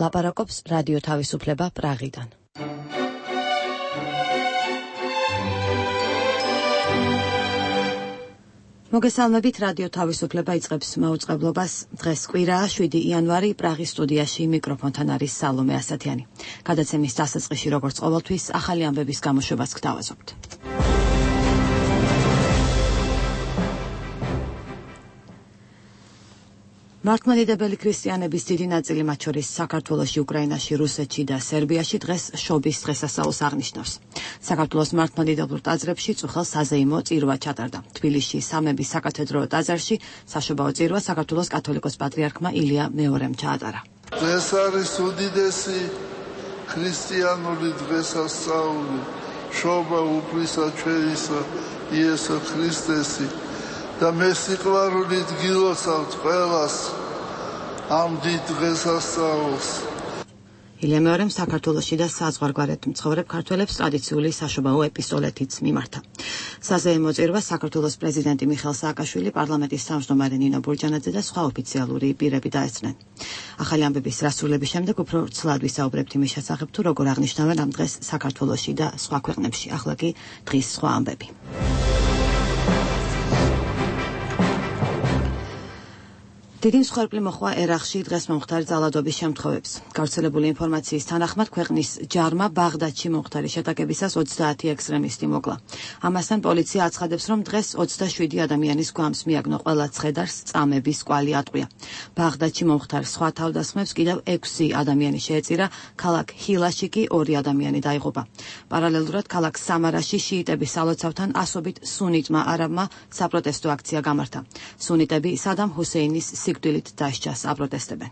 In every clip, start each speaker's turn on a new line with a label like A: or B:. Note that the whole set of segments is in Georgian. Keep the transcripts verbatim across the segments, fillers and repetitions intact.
A: ლაპარაკობს რადიო თავისუფლება პრაღიდან. მოგესალმებით, რადიო თავისუფლება იწყებს მაუწყებლობას. დღეს კვირაა, შვიდი იანვარი, პრაღის სტუდიაში მიკროფონთან არის სალომე ასათიანი. გადაცემის დასაწყისში, როგორც ყოველთვის, ახალი ამბების გამოშვებას გთავაზობთ. მართლმადიდებელი ქრისტიანების დიდი ნაწილი, მათ შორის საქართველოში, უკრაინაში, რუსეთში და სერბიაში დღეს შობის დღესასწაულს აღნიშნავს. საქართველოს მართლმადიდებლურ ტაძრებში წუხელ საზეიმო წირვა ჩატარდა. თბილისში სამების საკათედრო ტაძარში საშობაო წირვა საქართველოს კათოლიკოს პატრიარქმა ილია მეორემ ჩაატარა.
B: დღეს არის უდიდესი ქრისტიანული დღესასწაული, შობა უფლისა ჩვენისა იესო ქრისტესი. და მე სიყვარულით გილოცავთ ყველას ამ დიდ დღესასწაულს.
A: ილია მეორემ საქართველოში და საზღვარგარეთ მცხოვრებ ქართველებს ტრადიციული საშობაო ეპისტოლეთიც მიმართა. საზეიმო წირვას საქართველოს პრეზიდენტი მიხეილ სააკაშვილი, პარლამენტის თავმჯდომარე ნინო ბურჯანაძე და სხვა ოფიციალური პირები დაესწრნენ. ახალი ამბების დასრულების შემდეგ უფრო ცლად ვისაუბრებთ იმის შესახებ, თუ როგორ აღნიშნავენ ამ დღეს საქართველოში და სხვა ქვეყნებში. ახლა კი დღის სხვა ამბები. დიდი მსხვერპლი მოხდა ერაყში დღეს მომხდარი ძალადობის შემთხვევებს. გავრცელებული ინფორმაციის თანახმად, ქვეყნის ჯარმა ბაღდადში მომხდარი შეტაკებისას ოცდაათი ექსტრემისტი მოკლა. ამასთან პოლიცია აცხადებს, რომ დღეს ოცდაშვიდი ადამიანის გვამს მიაგნო ყველა ცხედარს წამების კვალი ატყვია. ბაღდადში მომხდარ სხვა თავდასხმებს კიდევ ექვსი ადამიანი შეეწირა, ქალაქ ჰილაში კი ორი ადამიანი დაიღუპა. პარალელურად ქალაქ სამარაში შიიტების სალოცავთან ასობით სუნიტმა არაბმა საპროტესტო აქცია გამართა. სუნიტები სადამ ჰუსეინის სიკვდილით დასჯას აპროტესტებენ.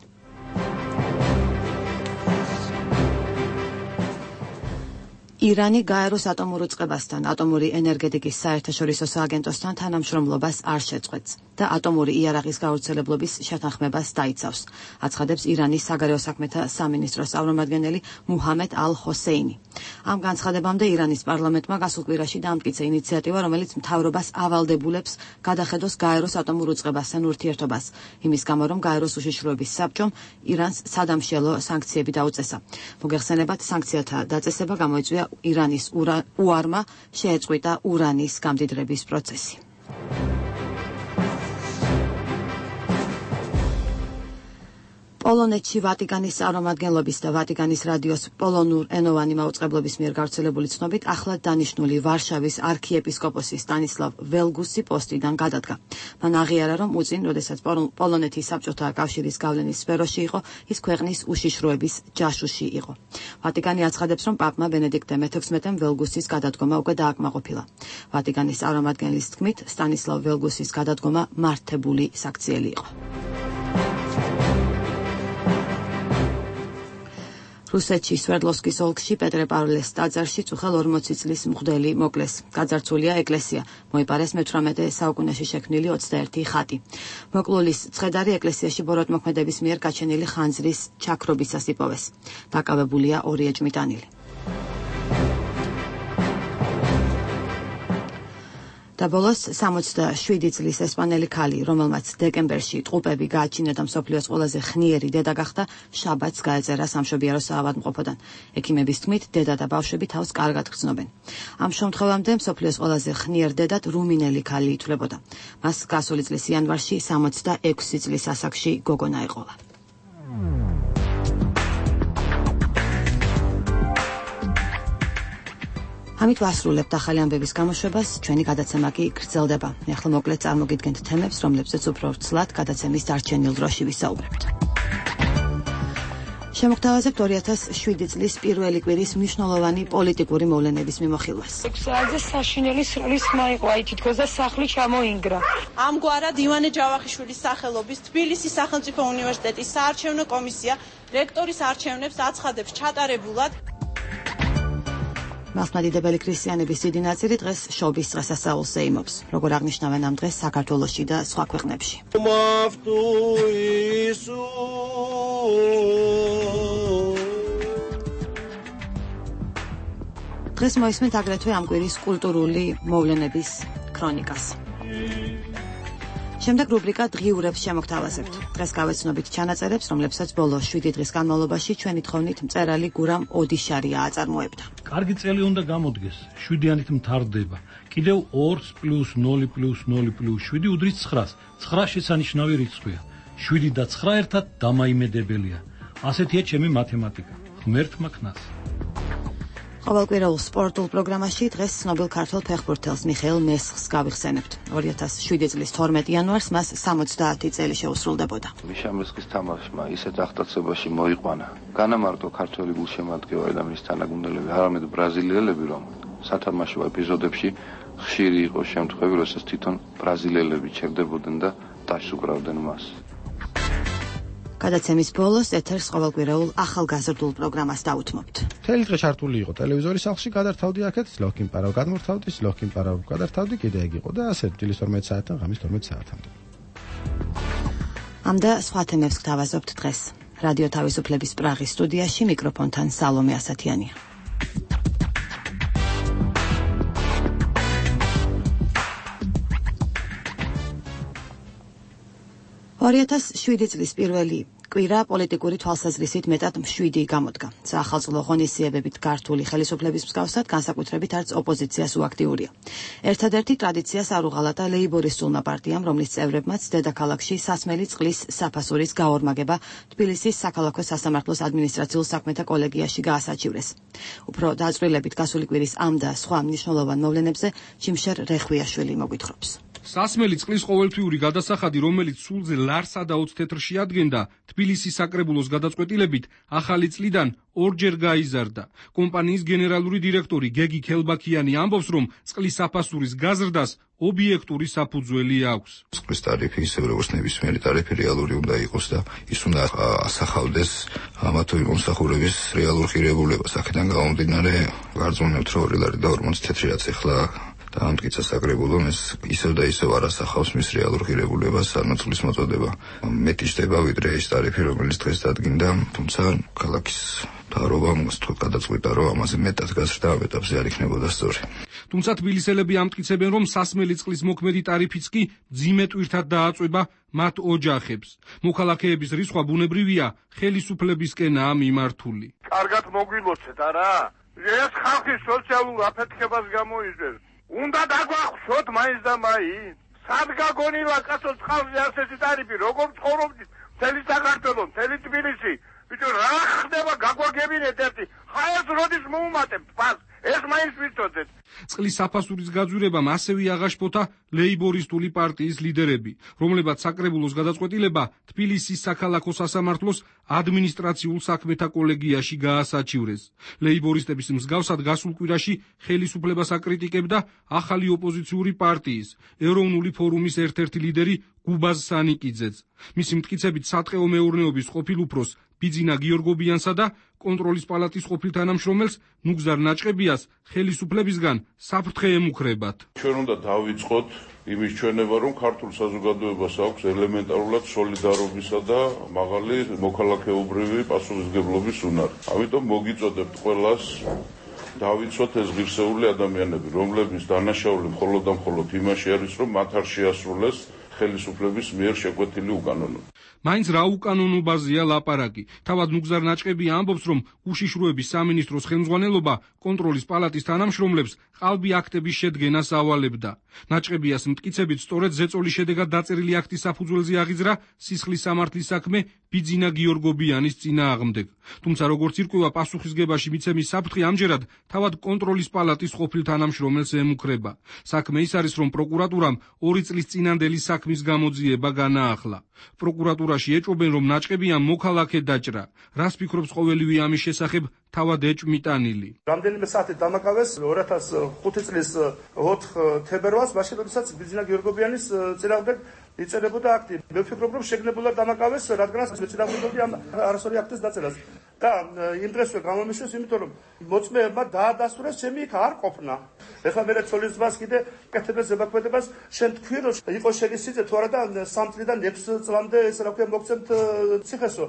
A: ირანი გაეროს ატომურ უწყებასთან, ატომური ენერგეტიკის საერთაშორისო სააგენტოსთან თანამშრომლობას არ შეწყვეტს და ატომური იარაღის გავრცელებლობის შეთანხმებას დაიცავს, აცხადებს ირანის საგარეო საქმეთა სამინისტროს წარმომადგენელი მუჰამედ ალ-ჰოსეინი. ამ განცხადებამდე ირანის პარლამენტმა გასულ კვირაში დაამტკიცა ინიციატივა, რომელიც მთავრობას ავალდებულებს გადახედოს გაეროს ატომურ უწყებასთან ურთიერთობას, იმის გამო, რომ გაეროს უშიშროების საბჭომ ირანს სადამშიალო სანქციები დაუწესა. მოგეხსენებათ, სანქციათა დაწესება გამოიწვია ირანის უარმა შეეწყვიტა ურანის გამდიდრების პროცესი. პოლონეთში ვატიკანის წარმომადგენლობის და ვატიკანის რადიოს პოლონურ ენოვანი მაუწყებლობის მიერ გავრცელებული ცნობით, ახლად დანიშნული ვარშავის არქიეპისკოპოსი სტანისლავ ველგუსი პოსტიდან გადადგა. მან აღიარა, რომ უწინ, როდესაც პოლონეთის საბჭოთა კავშირის გავლენის სფეროში იყო, ის ქვეყნის უშიშროების ჯაშუში იყო. ვატიკანი აცხადებს, რომ პაპმა ბენედიქტე მეთექვსმეტემ ველგუსის გადადგომა უკვე დააკმაყოფილა. ვატიკანის წარმომადგენლის თქმით, სტანისლავ ველგუსის გადადგომა მართებული საქციელი იყო. რუსეთში სვერდლოვსკის ოლქში პეტრე-პავლეს ტაძარში წუხელ ორმოცი წლის მღვდელი მოკლეს. გაძარცვულია ეკლესია. მოიპარეს მეთვრამეტე საუკუნეში შექმნილი ოცდაერთი ხატი. მოკლულის ცხედარი ეკლესიაში ბოროტმოქმედების მიერ გაჩენილი ხანძრის ჩაქრობისას იპოვეს. დაკავებულია ორი ეჭვმიტანილი. და ბოლოს სამოცდაშვიდი წლის ესპანელი ქალი, რომელმაც დეკემბერში ტყუპები გააჩინა და მსოფლიოს ყველაზე ხნიერი დედა გახდა, შაბათს გაეწერა სამშობიარო საავადმყოფოდან. ექიმების თქმით, დედა და ბავშვები თავს კარგად გრძნობენ. ამ შემთხვევამდე მსოფლიოს ყველაზე ხნიერ დედად რუმინელი ქალი ითვლებოდა. მას გასული წლის იანვარში სამოცდაექვსი წლის ასაკში გოგონა ეყოლა. ამით ვასრულებთ ახალი ამბების გამოშვებას, ჩვენი გადაცემა კი გრძელდება. ახლა მოკლედ წარმოგიდგენთ თემებს, რომლებზეც უფრო ცლად გადაცემის დარჩენილ დროში ვისაუბრებთ. შემოგთავაზებთ ორი ათას შვიდი წლის პირველი კვირის მნიშვნელოვანი პოლიტიკური მოვლენების მიმოხილვას.
C: ექვსი საშინელი სროლის ხმა იყო, აი თითქოს და სახლი ჩამოინგრა.
D: ამგვარად ივანე ჯავახიშვილის სახელობის თბილისის სახელმწიფო უნივერსიტეტის საარჩევნო კომისია რექტორის არჩევნებს აცხადებს ჩატარებულად.
A: მართლმადიდებელი ქრისტიანების დიდი ნაწილი დღეს შობის დღესასწაულს ეიმობს, როგორ აღნიშნავენ ამ დღეს საქართველოში და სხვა ქვეყნებში. დღეს მოისმენთ აგრეთვე ამ კვირის კულტურული მოვლენების ქრონიკას. შემდეგ რუბრიკა დღიურებს შემოგთავაზებთ. დღეს გავეცნობით ჩანაწერებს, რომლებსაც ბოლო შვიდი დღის განმავლობაში ჩვენი თხოვნით მწერალი გურამ ოდიშარია აწარმოებდა.
E: კარგი წელი უნდა გამოდგეს, შვიდიანით მთავრდება. კიდევ ორს პლუს ნული პლუს ნული პლუს შვიდი უდრის ცხრას. ცხრა შესანიშნავი რიცხვია. შვიდი და ცხრა ერთად დამაიმედებელია. ასეთია ჩემი მათემატიკა. ღმერთმა ქნას.
A: ყოველკვირეულ სპორტულ პროგრამაში დღეს ცნობილ ქართველ ფეხბურთელს მიხეილ მესხს გავიხსენებთ. ორი ათას შვიდი წლის თორმეტი იანვარს მას სამოცდაათი წელი შეუსრულდებოდა.
F: მიშა მესხის თამაშმა ისეთ აღტაცებაში მოიყვანა. განამარტო ქართველი გულშემატკივარი და მის თანაგუნდელები, არამედ ბრაზილიელები, რომ სათამაშო ეპიზოდებში ხშირი იყო შემთხვევები, როდესაც თვითონ ბრაზილიელები ჩერდებოდნენ და დაშუქრავდნენ მას.
A: გადაცემის ბოლოს ეთერს ყოველკვირეულ ახალგაზრდულ პროგრამას დაუთმობთ.
G: მთელი დღე ჩართული იყო ტელევიზორის სახლში, გადართავდი აქეთ, ლოქიმ პარავ გადმორთავდი, ლოქიმ პარავ გადართავდი, კიდე ეგ იყო და ასე დილის თორმეტ საათიდან ღამის თორმეტ საათამდე.
A: ამ და სხვა თემებს გთავაზობთ დღეს. რადიო თავისუფლების პრაღის სტუდიაში მიკროფონთან სალომე ასათიანია. ორი ათას შვიდი წლის პირველი კვირა პოლიტიკური თვალსაზრისით მეტად მშვიდი გამოდგა. საახალწლო ღონისძიებებით გართული ხელისუფლების მსგავსად განსაკუთრებით არც ოპოზიციას უაქტიურია. ერთადერთი ტრადიციას არ უღალატა ლეიბორისტულმა პარტიამ, რომლის წევრებმაც დედაქალაქში სასმელი წყლის საფასურის გაორმაგება თბილისის საქალაქო სასამართლოს ადმინისტრაციულ საქმეთა კოლეგიაში გაასაჩივრეს. უფრო დაწვრილებით გასული კვირის ამ და სხვა მნიშვნელოვან მოვლენებზე ჩიმშერ რეხვიაშვილი მოგვითხრობს.
H: სასმელი წყლის ყოველთვიური გადასახადი, რომელიც სულზე ლარსა და ოც თეთრში ადგენდა, თბილისის საკრებულოს გადაწყვეტილებით ახალი წლიდან ორჯერ გაიზარდა. კომპანიის გენერალური დირექტორი გეგი ქელბაქიანი ამბობს, რომ წყლის საფასურის გაზრდას ობიექტური საფუძველი აქვს.
I: წყლის ტარიფი ისე როგორც ნებისმიერი ტარიფი რეალური უნდა იყოს და ის უნდა ასახავდეს ამა თუ იმ მომსახურების რეალურ ღირებულებას. აქედან გამომდინარე, ვარწმუნებთ, რომ ორი ლარი და ორმოცი თეთრი რაც ეხლა და ამტკიცა საკრებულომ ეს ისევ და ისევ არ ასახავს მის რეალურ ღირებულებას, ანუ წყლის მოწოდება მეტი ხდება ვიდრე ის ტარიფი, რომელიც დღეს დადგინდა, თუმცა ქალაქის მთავრობამ გადაწყვიტა, რომ ამაზე მეტად გაზრდა ამ ეტაპზე არ იქნებოდა სწორი.
H: თუმცა თბილისელები ამტკიცებენ, რომ სასმელი წყლის მოქმედი ტარიფიც კი მძიმე ტვირთად დააწვება მათ ოჯახებს. მოქალაქეების რისხვა ბუნებრივია, ხელისუფლებისკენაა მიმართული.
B: კარგად მოგვილოცეთ, არა? ეს ხალხის სოციალურ აფეთქებას გამოიძებს. უნდა დაგვახშოთ მაინც და მაინც. სად გაგონილა კაცო წყალზე ასეთი ტარიფი, როგორ ცხოვრობთ მთელი საქართველო, მთელი თბილისი? ბიჭო, რა ხდება, გაგვაგებინეთ ერთი. ხა ეს როდის მოუმატებთ ფას? ეს მაინც ვიცოდეთ.
H: წყლის საფასურის გაძვირებამ ასევე აღაშფოთა ლეიბორისტული პარტიის ლიდერები, რომლებაც საკრებულოს გადაწყვეტილება თბილისის საქალაქო სასამართლოს ადმინისტრაციულ საქმეთა კოლეგიაში გაასაჩივრეს. ლეიბორისტების მსგავსად გასულ კვირაში ხელისუფლებას აკრიტიკებდა ახალი ოპოზიციური პარტიის, ეროვნული ფორუმის ერთ-ერთი ლიდერი გუბაზ სანიკიძეც. მისი მტკიცებით სატყეო მეურნეობის ყოფილ უფროს ბიძინა გიორგობიანსა და კონტროლის პალატის ყოფილ თანამშრომელს ნუგზარ ნაჭყებიას ხელისუფლებისგან საფრთხე ემუქრებათ.
B: ჩვენ უნდა დავიწყოთ იმის ჩვენება, რომ ქართულ საზოგადოებას აქვს ელემენტარულად სოლიდარობისა და მაღალი მოქალაქეობრივი პასუხისმგებლობის უნარი. ამიტომ მოგიწოდებთ ყველას დავიცოთ ეს ღირსეული ადამიანები, რომლების დანაშაული მხოლოდ და მხოლოდ იმაში არის, რომ მათ არ შეასრულეს ხელისუფლების მიერ შეკვეთილი უკანონო. მაინც რა უკანონობაზეა ლაპარაკი. თავად ნუგზარ ნაჭყებია ამბობს, რომ უშიშროების სამინისტროს ხელმძღვანელობა კონტროლის პალატის თანამშრომლებს ყალბი აქტების შედგენას ავალებდა. ნაჭყებიას მტკიცებით, სწორედ ზეწოლის შედეგად დაწერილი აქტის საფუძველზე აღიძრა სისხლის სამართლის საქმე ბიძინა გიორგობიანის წინააღმდეგ. თუმცა როგორც ირკვევა, პასუხისგებაში მიცემის საფრთხე ამჯერად თავად კონტროლის პალატის ყოფილ თანამშრომელს ემუქრება. საქმე ის არის, რომ პროკურატურამ ორი წლის წინანდელი საქმის გამოძიება განაახლა. პროკურატურაში ეჭვობენ, რომ ნაჭყებია მოქალაქე დაჭრა. რას ფიქრობს ყოველივე ამის შესახებ თავად ეჭვმიტანილი?
J: რამდენიმე საათი დამაკავეს ორი ათას ხუთი წლის ოთხი თებერვალს, მაშინ როდესაც ბიძინა გიორგობიანის წინააღმდეგ იწერებოდა აქტი. მე ვფიქრობ, რომ შეგნებულად დამაკავეს, რადგანაც მეწინააღმდეგობდი ამ არასწორი აქტის დაწერას. და იმ დღესვე გამომიშვეს, იმიტომ რომ მოწმეებმა დაადასტურეს ჩემი იქ არ ყოფნა. ეხლა მე ცოლის ძმას კიდე კეთებდეს ზებაქმედებას, შენ თქვი რომ იყო შეგისიძე თუ არა და სამ წლიდან ექვს წლამდე ეს რა ქვია მოგცემთ ციხესო.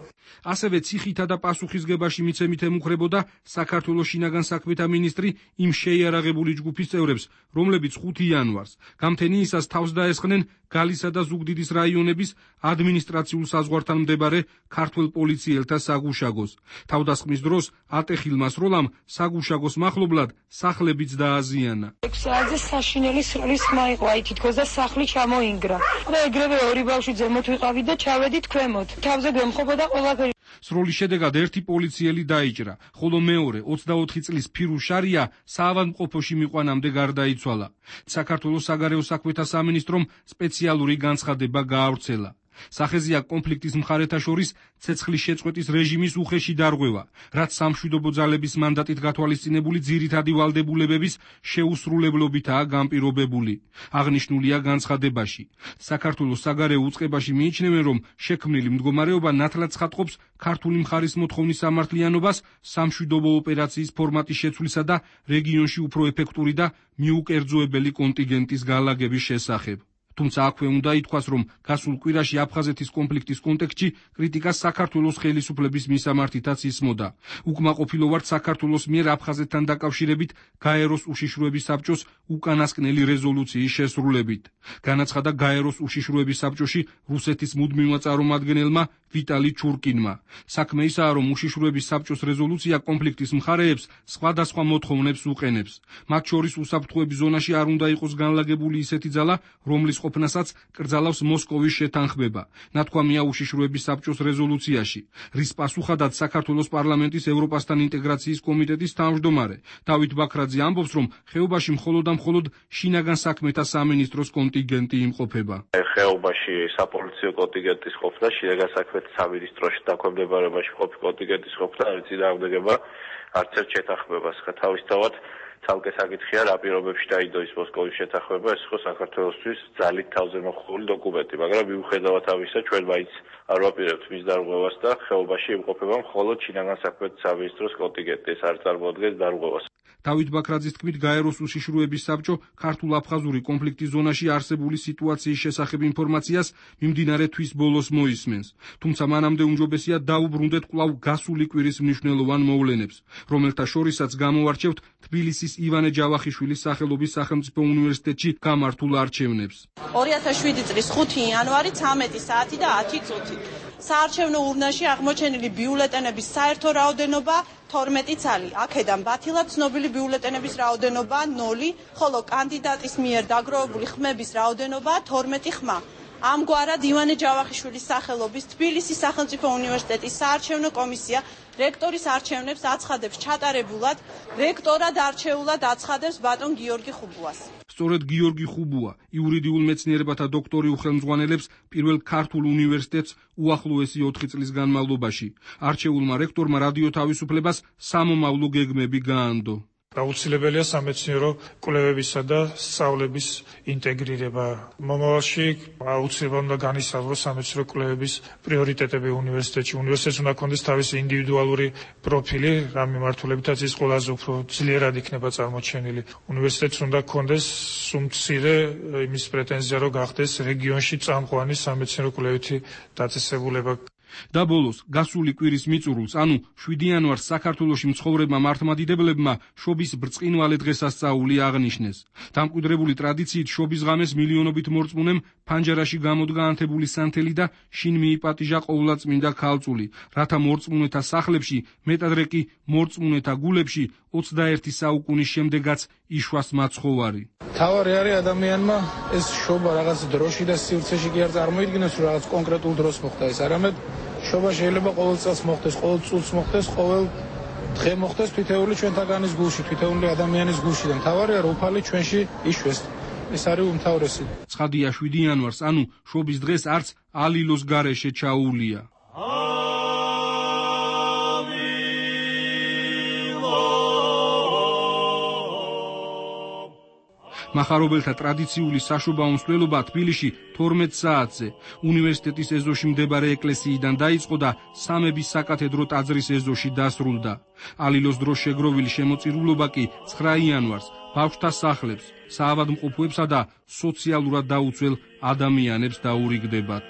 H: ასევე ციხითა და პასუხისგებაში მიცემით ემუქრებოდა საქართველოს შინაგან საქმეთა მინისტრი იმ შეიარაღებული ჯგუფის წევრებს, რომლებიც ხუთი იანვარს გამთენიისას თავს დაესხნენ გალისა და ზუგდიდის რაიონების ადმინისტრაციულ საზღვართან მდებარე ქართველ პოლიციელთა საგუშაგოს. თავდასხმის დროს ატეხილმა სროლამ საგუშაგოს მახლობლად სახლებიც დააზიანა.
C: ექვს საათზე საშინელი სროლის ხმა იყო, აი თითქოს და სახლი ჩამოინგრა. და ეგრევე ორი ბავშვი ზემოთ ვიყავით და ჩავედით ქვემოთ. თავზე გვემხობოდა ყველაფერი.
H: სროლის შედეგად ერთი პოლიციელი დაიჭრა, ხოლო მეორე ოცდაოთხი წლის ფირუზ შარია საავადმყოფოში მიყვანამდე გარდაიცვალა. საქართველოს საგარეო საქმეთა სამინისტრომ სპეციალური განცხადება გაავრცელა. სახეზეა კონფლიქტის მხარეთა შორის ცეცხლის შეწყვეტის რეჟიმის უხეში დარღვევა, რაც სამშვიდობო ძალების მანდატით გათვალისწინებული ძირითადი ვალდებულებების შეუსრულებლობითაა განპირობებული. აღნიშნულია განცხადებაში. საქართველოს საგარეო უწყებაში მიიჩნევენ, რომ შექმნილი მდგომარეობა ნათლად ცხადყოფს ქართული მხარის მოთხოვნის სამართლიანობას სამშვიდობო ოპერაციის ფორმატის შეცვლისა და რეგიონში უფრო ეფექტური და მიუკერძოებელი კონტინგენტის განლაგების შესახებ. თუმცა აქვე უნდა ითქვას, რომ გასულ კვირაში აფხაზეთის კონფლიქტის კონტექსტში კრიტიკას საქართველოს ხელისუფლების მისამართითაც ისმოდა. უკმაყოფილო ვართ საქართველოს მიერ აფხაზეთთან დაკავშირებით გაეროს უშიშროების საბჭოს უკანასკნელი რეზოლუციის შესრულებით. განაცხადა გაეროს უშიშროების საბჭოში რუსეთის მუდმივმა წარმომადგენელმა ვიტალი ჩურკინმა. საქმე ისაა, რომ უშიშროების საბჭოს რეზოლუცია კონფლიქტის მხარეებს სხვადასხვა მოთხოვნებს უყენებს. მათ შორის უსაფრთხოების ზონაში არ უნდა იყოს განლაგებული ისეთი ძალა, რომლის ყოფნასაც კრძალავს მოსკოვის შეთანხმება. ნათქვამია უშიშროების საბჭოს რეზოლუციაში, რის პასუხადაც საქართველოს პარლამენტის ევროპასთან ინტეგრაციის კომიტეტის თავმჯდომარე დავით ბაქრაძე ამბობს, რომ ხეობაში მხოლოდ და მხოლოდ შინაგან საქმეთა სამინისტროს კონტინგენტი იმყოფება.
K: ხეობაში საპოლიციო კონტინგენტის ყოფნა, შინაგან საქმეთა სამინისტროში დაქვემდებარებაში ყოფი კონტინგენტის ყოფნა არ წინააღმდეგება არც ერთ შეთანხმებას. თავისთავად ცალკე საკითხია, რა პირობებში დაიდო ის მოსკოვის შეთანხმება, ეს ხო საქართველოსთვის ძალით თავზე მოხდული დოკუმენტი, მაგრამ მიუხედავად ამისა, ჩვენ მაინც არ ვაპირებთ მის დარღვევას და ხეობაში იმყოფება მხოლოდ შინაგან საქმეთა სამინისტროს კონტინგენტი, ეს არ წარმოადგენს დარღვევას.
H: დავით ბაქრაძის თქმით, გაეროს უშიშროების საბჭო ქართულ-აფხაზური კონფლიქტის ზონაში არსებული სიტუაციის შესახებ ინფორმაციას მიმდინარე თვის ბოლოს მოისმენს. თუმცა მანამდე უმჯობესია დაუბრუნდეთ კვლავ გასული კვირის მნიშვნელოვან მოვლენებს, რომელთა შორისაც გამოვარჩევთ თბილისის ივანე ჯავახიშვილის სახელობის სახელმწიფო უნივერსიტეტში გამართულ არჩევნებს.
D: ორი ათას შვიდი წლის ხუთი იანვარი ცამეტი საათი და ათი წუთი. საარჩევნო ურნაში აღმოჩენილი ბიულეტენების საერთო რაოდენობა თორმეტი ცალი. აქედან ბათილად ცნობილი ბიულეტენების რაოდენობა ნული, ხოლო კანდიდატის მიერ დაგროვებული ხმების რაოდენობა თორმეტი ხმა. ამგვარად ივანე ჯავახიშვილის სახელობის თბილისის სახელმწიფო უნივერსიტეტის საარჩევნო კომისია რექტორის არჩევნებს აცხადებს ჩატარებულად, რექტორად არჩეულად აცხადებს ბატონ გიორგი ხუბუას.
H: სწორედ გიორგი ხუბუა იურიდიულ მეცნიერებათა დოქტორი უხელმძღვანელებს პირველ ქართულ უნივერსიტეტს უახლოესი ოთხი წლის განმავლობაში. არჩეულმა რექტორმა რადიო თავისუფლებას სამომავლო გეგმები გაანდო.
L: აუცილებელია სამეცნიერო კვლევებისა და სწავლების ინტეგრირება. მომავალში აუცილებლად უნდა განისაზღვროს სამეცნიერო კვლევების პრიორიტეტები უნივერსიტეტში. უნივერსიტეტს უნდა ჰქონდეს თავისი ინდივიდუალური პროფილი, რა მიმართულებითაც ის ყველაზე უფრო ძლიერად იქნება წარმოჩენილი. უნივერსიტეტს უნდა ჰქონდეს უმცირე იმის პრეტენზია, რომ გახდეს რეგიონში წამყვანი სამეცნიერო კვლევითი დაწესებულება. და ბოლოს გასული კვირის მიწურულს, ანუ შვიდი იანვარს საქართველოში მცხოვრებმა მართლმადიდებლებმა შობის ბრწყინვალე დღესასწაული აღნიშნეს. დამკვიდრებული ტრადიციით შობის ღამეს მილიონობით მორწმუნემ ფანჯარაში გამოდგა ანთებული სანთელი და შინ მიიპატიჟა ყოვლადწმინდა ქალწული, რათა მორწმუნეთა სახლებში, მეტადრე კი მორწმუნეთა გულებში ოცდაერთი საუკუნის შემდეგაც იშვას მაცხოვარი. თავარი არის ადამიანმა ეს შობა რაღაც დროში და სივრცეში კი არ წარმოიდგინოს, რომ რაღაც კონკრეტულ დროს მოხდა ეს, არამედ შობა შეიძლება ყოველ წელს მოხდეს, ყოველ წუთს მოხდეს, ყოველ დღე მოხდეს თითოეული ჩვენთაგანის გულში, თითოეული ადამიანის გულში და მთავარია რომ უფალი ჩვენში იშვეს. ეს არის უმთავრესი. ცხადია შვიდი იანვარს, ანუ შობის დღეს არც ალილოს გარეშე ჩაუვლია. მახარობელთა ტრადიციული საშობაო მსვლელობა თბილისში თორმეტ საათზე უნივერსიტეტის ეზოში მდებარე ეკლესიიდან დაიწყო და სამების საკათედრო ტაძრის ეზოში დასრულდა. ალილოს დროს შეგროვილი შემოწირულობა კი ცხრა იანვარს ბავშვთა სახლებს, საავადმყოფოებსა და სოციალურად დაუცველ ადამიანებს დაურიგდებათ.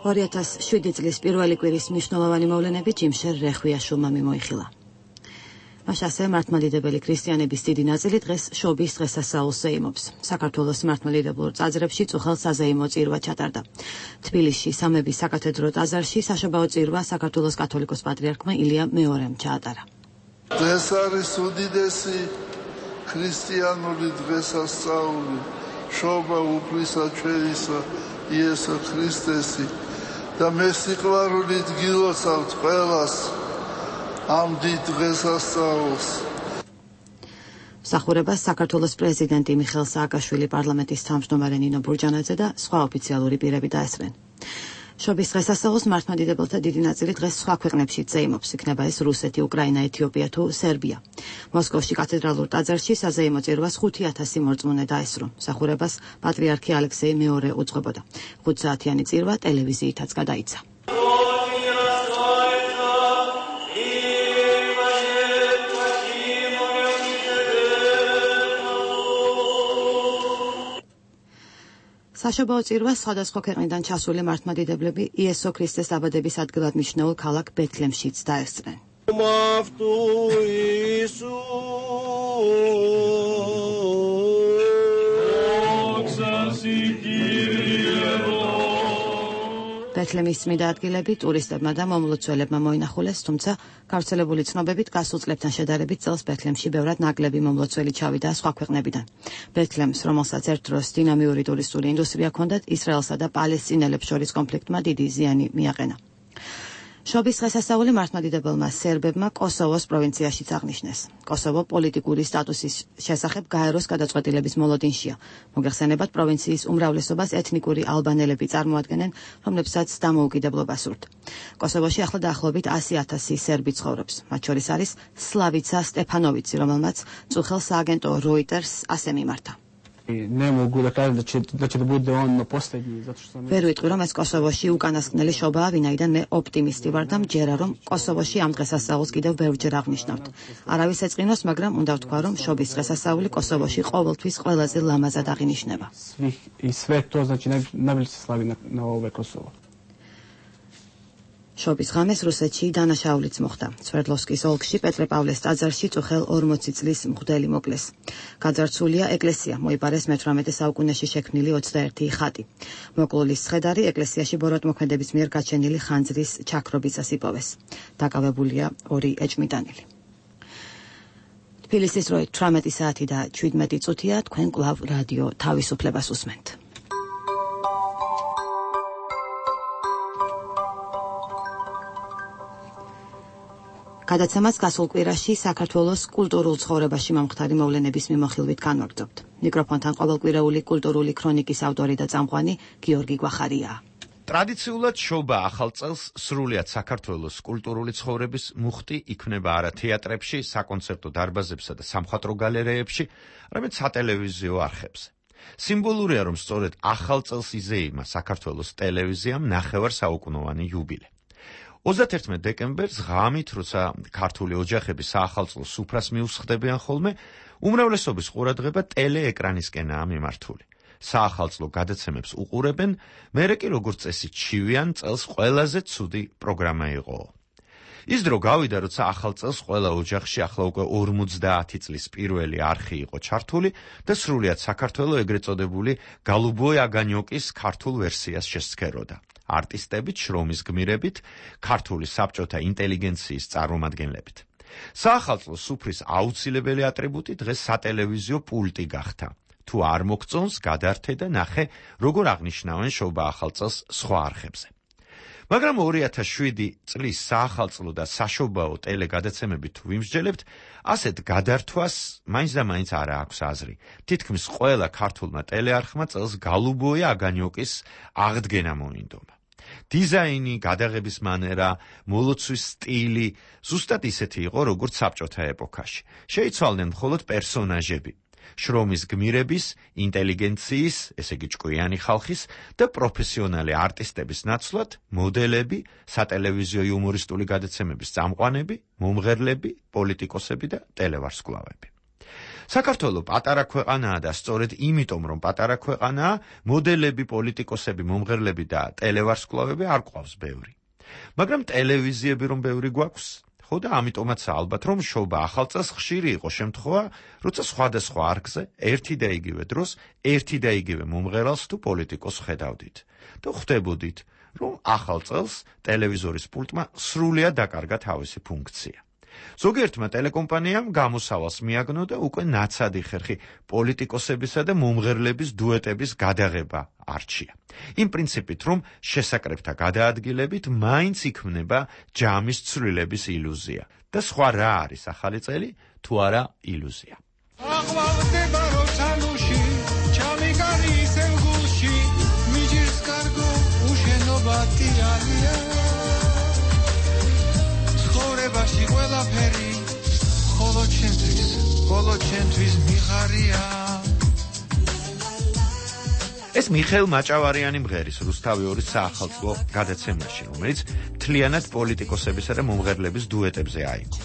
A: ორი ათას შვიდი წლის პირველი კვირის მნიშვნელოვანი მოვლენები ჯიმშერ რეხვიაშვილმა მიმოიხილა. მას ასევე მართლმადიდებელი ქრისტიანების დიდი ნაწილი დღეს შობის დღესასწაულს ზეიმობს. საქართველოს მართლმადიდებლურ ტაძრებში წუხელ საზეიმო წირვა ჩატარდა. თბილისში სამების საკათედრო ტაძარში საშობაო წირვა საქართველოს კათოლიკოს პატრიარქმა ილია მეორემ ჩაატარა.
M: დღეს არის უდიდესი ქრისტიანული დღესასწაული, შობა უფლისა ჩვენისა იესო ქრისტესი და მე სიყვარულით გილოცავთ ყველას ამ დიდ დღესასწაულს.
A: მსახურებას საქართველოს პრეზიდენტი მიხეილ სააკაშვილი, პარლამენტის თავმჯდომარე ნინო ბურჯანაძე და სხვა ოფიციალური პირები დაესწრნენ. შობის დღესასწაულს მართლმადიდებელთა დიდი ნაწილი დღეს სხვა ქვეყნებშიც ზეიმობს, იქნება ეს რუსეთი, უკრაინა, ეთიოპია თუ სერბია. მოსკოვში კათედრალურ ტაძარში საზეიმო წირვას ხუთი ათასი მორწმუნე დაესწრო. მსახურებას პატრიარქი ალექსეი მეორე უძღვებოდა. ხუთსაათიანი წირვა ტელევიზიითაც გადაიცა. საშობაო წირვას სხვადასხვა ქვეყნიდან ჩასული მართლმადიდებლები იესო ქრისტეს დაბადების ადგილად მიჩნეულ ქალაქ ბეთლემშიც დაესწრნენ. ბეთლემის წმინდა ადგილები ტურისტებმა და მომლოცველებმა მოინახულეს, თუმცა გავრცელებული ცნობებით გასულ წლებთან შედარებით წელს ბეთლემში ბევრად ნაკლები მომლოცველი ჩავიდა სხვა ქვეყნებიდან. ბეთლემს, რომელსაც ერთ დროს დინამიური ტურისტული ინდუსტრია ჰქონდათ, ისრაელსა და პალესტინელებს შორის კონფლიქტმა დიდი ზიანი მიაყენა. შობის დღესასწაული მართლმადიდებელმა სერბებმა კოსოვოს პროვინციაშიც აღნიშნეს. კოსოვო პოლიტიკური სტატუსის შესახებ გაეროს გადაწყვეტილების მოლოდინშია. მოგეხსენებათ, პროვინციის უმრავლესობას ეთნიკური ალბანელები წარმოადგენენ, რომლებსაც დამოუკიდებლობა სურთ. კოსოვოში ახლა დაახლოებით ასი ათასი სერბი ცხოვრობს. მათ შორის არის სლავიცა სტეფანოვიცი, რომელმაც წუხელ სააგენტო Reuters ასე მიმართა.
N: Ne mogu da kažem da će, da će da bude on posljednji, zato što sam...
A: ვერ ვიტყვი, რომ ეს კოსოვოში უკანასკნელი შობაა, ვინაიდან მე ოპტიმისტი ვარ და მჯერა, რომ კოსოვოში ამ დღესასწაულს კიდევ ბევრჯერ აღნიშნავთ. არავის ეწყინოს, მაგრამ უნდა ვთქვა, რომ შობის დღესასწაული კოსოვოში ყოველთვის ყველაზე ლამაზად აღინიშნება.
N: I sve to, znači, najbolje se slavi na, na ove Kosovo.
A: შობის ღამეს რუსეთში დანაშაულიც მოხდა. სვერდლოვსკის ოლქში პეტრე-პავლეს ტაძარში წუხელ ორმოცი წლის მღვდელი მოკლეს. გაძარცვულია ეკლესია, მოიპარეს მეთვრამეტე საუკუნეში შექმნილი ოცდაერთი ხატი. მოკლულის ცხედარი ეკლესიაში ბოროტმოქმედების მიერ გაჩენილი ხანძრის ჩაქრობისას იპოვეს. დაკავებულია ორი ეჭვმიტანილი. თბილისის როი თვრამეტი საათი და შვიდმეტი წუთია, თქვენ კვლავ რადიო თავისუფლებას უსმენთ. გადაცემას გასულ კვირაში საქართველოს კულტურულ ცხოვრებაში მომხდარი მოვლენების მიმოხილვით განვაგრძობთ. მიკროფონთან ყოველკვირეული კულტურული ქრონიკის ავტორი და წამყვანი გიორგი გვახარია.
O: ტრადიციულად შობა ახალ წელს სრულიად საქართველოს კულტურული ცხოვრების მუხტი იქმნება არა თეატრებში, საკონცერტო დარბაზებსა და სამხატვრო გალერეებში, არამედ სატელევიზიო არხებზე. სიმბოლურია, რომ სწორედ ახალ წელს იზეიმა საქართველოს ტელევიზიამ ნახევარსაუკუნოვანი იუბილე. ოცდაათერთმეტი დეკემბერს ღამით, როცა ქართული ოჯახები საახალწლო სუფრას მიუსხდებიან ხოლმე, უმრავლესობის ყურადღება ტელეეკრანისკენაა მიმართული. საახალწლო გადაცემებს უყურებენ, მერე კი როგორც წესი ჩივიან წელს ყველაზე ცუდი პროგრამა იყო. ის დრო გავიდა, როცა ახალ წელს ყველა ოჯახში ახლა უკვე ორმოცდაათი წლის პირველი არხი იყო ჩართული და სრულიად საქართველო ეგრეთ წოდებული გალუბოი აგანიოკის ქართულ ვერსიას შესცქეროდა. არტისტებით, შრომის გმირებით, ქართული საბჭოთა ინტელიგენციის წარმომადგენლებით. საახალწლო სუფრის აუცილებელი ატრიბუტი დღეს სატელევიზიო პულტი გახდა. თუ არ მოგწონს, გადართე და ნახე, როგორ აღნიშნავენ შობა ახალ წელს სხვა არხებზე. მაგრამ ორი ათას შვიდი წლის საახალწლო და საშობაო ტელეგადაცემებით თუ ვიმსჯელებთ, ასეთ გადართვას მაინც და მაინც არა აქვს აზრი. თითქმის ყველა ქართულმა ტელეარხმა წელს გალუბოი აგანიოკის აღდგენა მოინდომა. დიზაინი, გადაღების მანერა, მოლოცვის სტილი ზუსტად ისეთი იყო, როგორც საბჭოთა ეპოქაში. შეიცვალნენ მხოლოდ პერსონაჟები. შრომის გმირების, ინტელიგენციის, ესე იგი ჭკვიანი ხალხის და პროფესიონალი არტისტების ნაცვლად მოდელები, სატელევიზიო იუმორისტული გადაცემების წამყვანები, მომღერლები, პოლიტიკოსები და ტელევარსკვლავები. საქართველო პატარა ქვეყანაა და სწორედ იმიტომ რომ პატარა ქვეყანაა, მოდელები, პოლიტიკოსები, მომღერლები და ტელევარსკვლავები არ ყავს ბევრი. მაგრამ ტელევიზიები რომ ბევრი გვაქვს, ხო და ამიტომაცაა ალბათ რომ შოვა ახალ წელს ხშირი იყო შემთხვევა, როცა სხვადასხვა არხზე ერთი და იგივე დროს ერთი და იგივე მომღერალს თუ პოლიტიკოსს ხედავდით და ხვდებოდით, რომ ახალ წელს ტელევიზორის პულტმა სრულიად დაკარგა თავისი ფუნქცია. ზოგიერთმა ტელეკომპანიამ გამოსავალს მიაგნო და უკვე ნაცადი ხერხი პოლიტიკოსებისა და მომღერლების დუეტების გადაღება არჩია. იმ პრინციპით, რომ შესაკრებთა გადაადგილებით მაინც იქმნება ჯამის ცვლილების ილუზია. და სხვა რა არის ახალი წელი, თუ არა ილუზია.
P: აღვალდება როცანუში, ჩამიგარი სელგუში, მიჯერს კარგო უშენობა ტირანია. ცხოვრებაში ყველაფერი ხოლო ჩემთვის, ხოლო ჩემთვის მიხარია.
O: ეს მიხეილ მაჭავარიანი მღერის რუსთავი ორის საახალწლო გადაცემაში, რომელიც მთლიანად პოლიტიკოსებისა და მომღერლების დუეტებზე აიგო.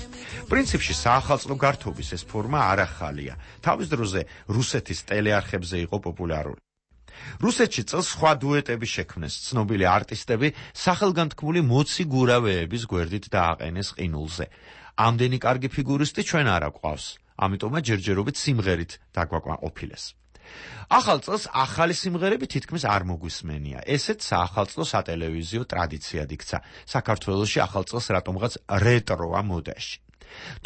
O: პრინციპში საახალწლო გართობის ეს ფორმა არ ახალია. თავის დროზე რუსეთის ტელეარხებზე იყო პოპულარული. რუსეთში წელს სხვა დუეტები შექმნეს, ცნობილი არტისტები სახელგანთქმული მოცი გურავეების გვერდით დააყენეს ყინულზე. ამდენი კარგი ფიგურისტი ჩვენ არ გვყავს, ამიტომაც ჯერჯერობით სიმღერით დაგვაკმაყოფილეს. ახალ წელს ახალი სიმღერები თითქმის არ მოგვისმენია. ესეც საახალწლო სატელევიზიო ტრადიციად იქცა. საქართველოში ახალ წელს რატომღაც რეტროა მოდაში.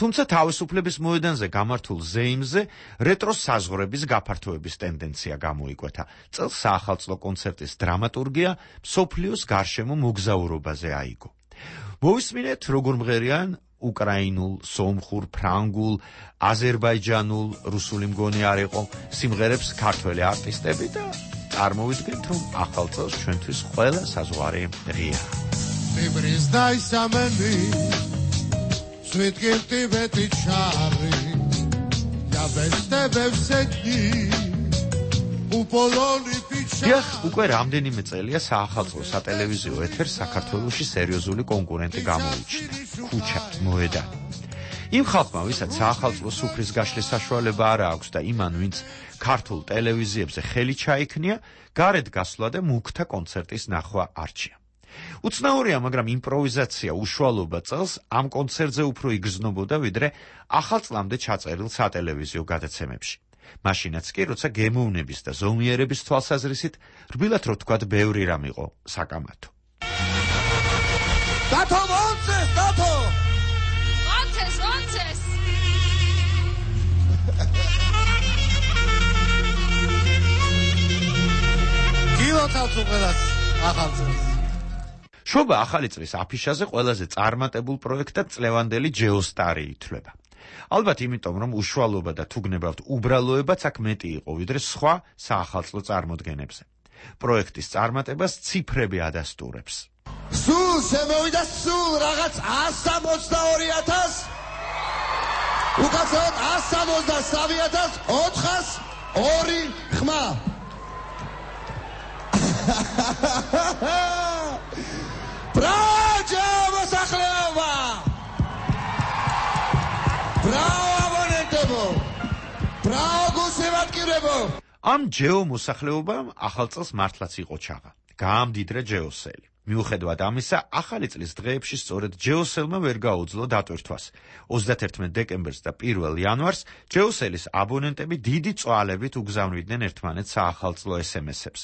O: თუმცა თავისუფლების მოედანზე გამართულ ზეიმზე რეტროს საზღვრების გაფართოების ტენდენცია გამოიკვეთა. წელს საახალწლო კონცერტის დრამატურგია მსოფლიოს გარშემო მოგზაურობაზე აიგო. მოვისმინეთ, როგორ მღერიან უკრაინულ, სომხურ, ფრანგულ, აზერბაიჯანულ, რუსული მგონი არ იყო სიმღერებს ქართველი არტისტები და წარმოვიდგენთ, რომ ახალ წელს ჩვენთვის ყველა საზღვარი ღია.
P: Fibris daisameni Svetgirti veti chari Da veste vevseki Upoloni pichari
O: დიახ, უკვე რამდენიმე წელია საახალწლო სატელევიზიო ეთერს საქართველოში სერიოზული კონკურენტი გამოიჩინა. ქუჩა, მოედანი. იმ ხალხმა, ვისაც საახალწლო სუფრის გაშლის საშუალება არ აქვს და იმან, ვინც ქართულ ტელევიზიებზე ხელი ჩაიქნია, გარეთ გასვლა და მუქთა კონცერტის ნახვა არჩია. უცნაურია, მაგრამ იმპროვიზაცია უშუალობა წელს ამ კონცერტზე უფრო იგრძნობოდა, ვიდრე ახალ წლამდე ჩაწერილ სატელევიზიო გადაცემებში. მაშინაც კი, როცა გემოვნების და ზომიერების თვალსაზრისით, რბილად რო თქვათ, ბევრი რამ იყო საკამათო.
P: დათო მონცეს, დათო!
Q: მონცეს, მონცეს!
P: გილოცავთ უყელას ახალ წელს.
O: შობა ახალი წლის აფიშაზე ყველაზე წარმატებულ პროექტად წლევანდელი ჯეოსტარი ითვლება. ალბათ იმიტომ, რომ უშუალობა და თუ გნებავთ უბრალოებაც აქ მეტი იყო, ვიდრე სხვა საახალწლო წარმოდგენებზე. პროექტის წარმატებას ციფრები ადასტურებს.
P: სულ შემოვიდა სულ რაღაც ასი ოცდაორი ათასი უკაცრავად ასი ოცდასამი ათასი ოთხას ორი ხმა. ბრაჯო მოსახლეობა! ბრაო აბონენტებო! ბრაო გულშემატკივრებო!
O: ამ ჯეო მოსახლეობამ ახალ წელს მართლაც იყო ჩაღა. გაამდიდრა ჯეოსელი. მიუხედავად ამისა, ახალი წლის დღეებში სწორედ ჯეოსელმა ვერ გაუძლო დატვირთვას. ოცდაათერთმეტ დეკემბერს და პირველ იანვარს ჯეოსელის აბონენტები დიდი წვალებით უგზავნიდნენ ერთმანეთს საახალწლო ეს ემ ესებს.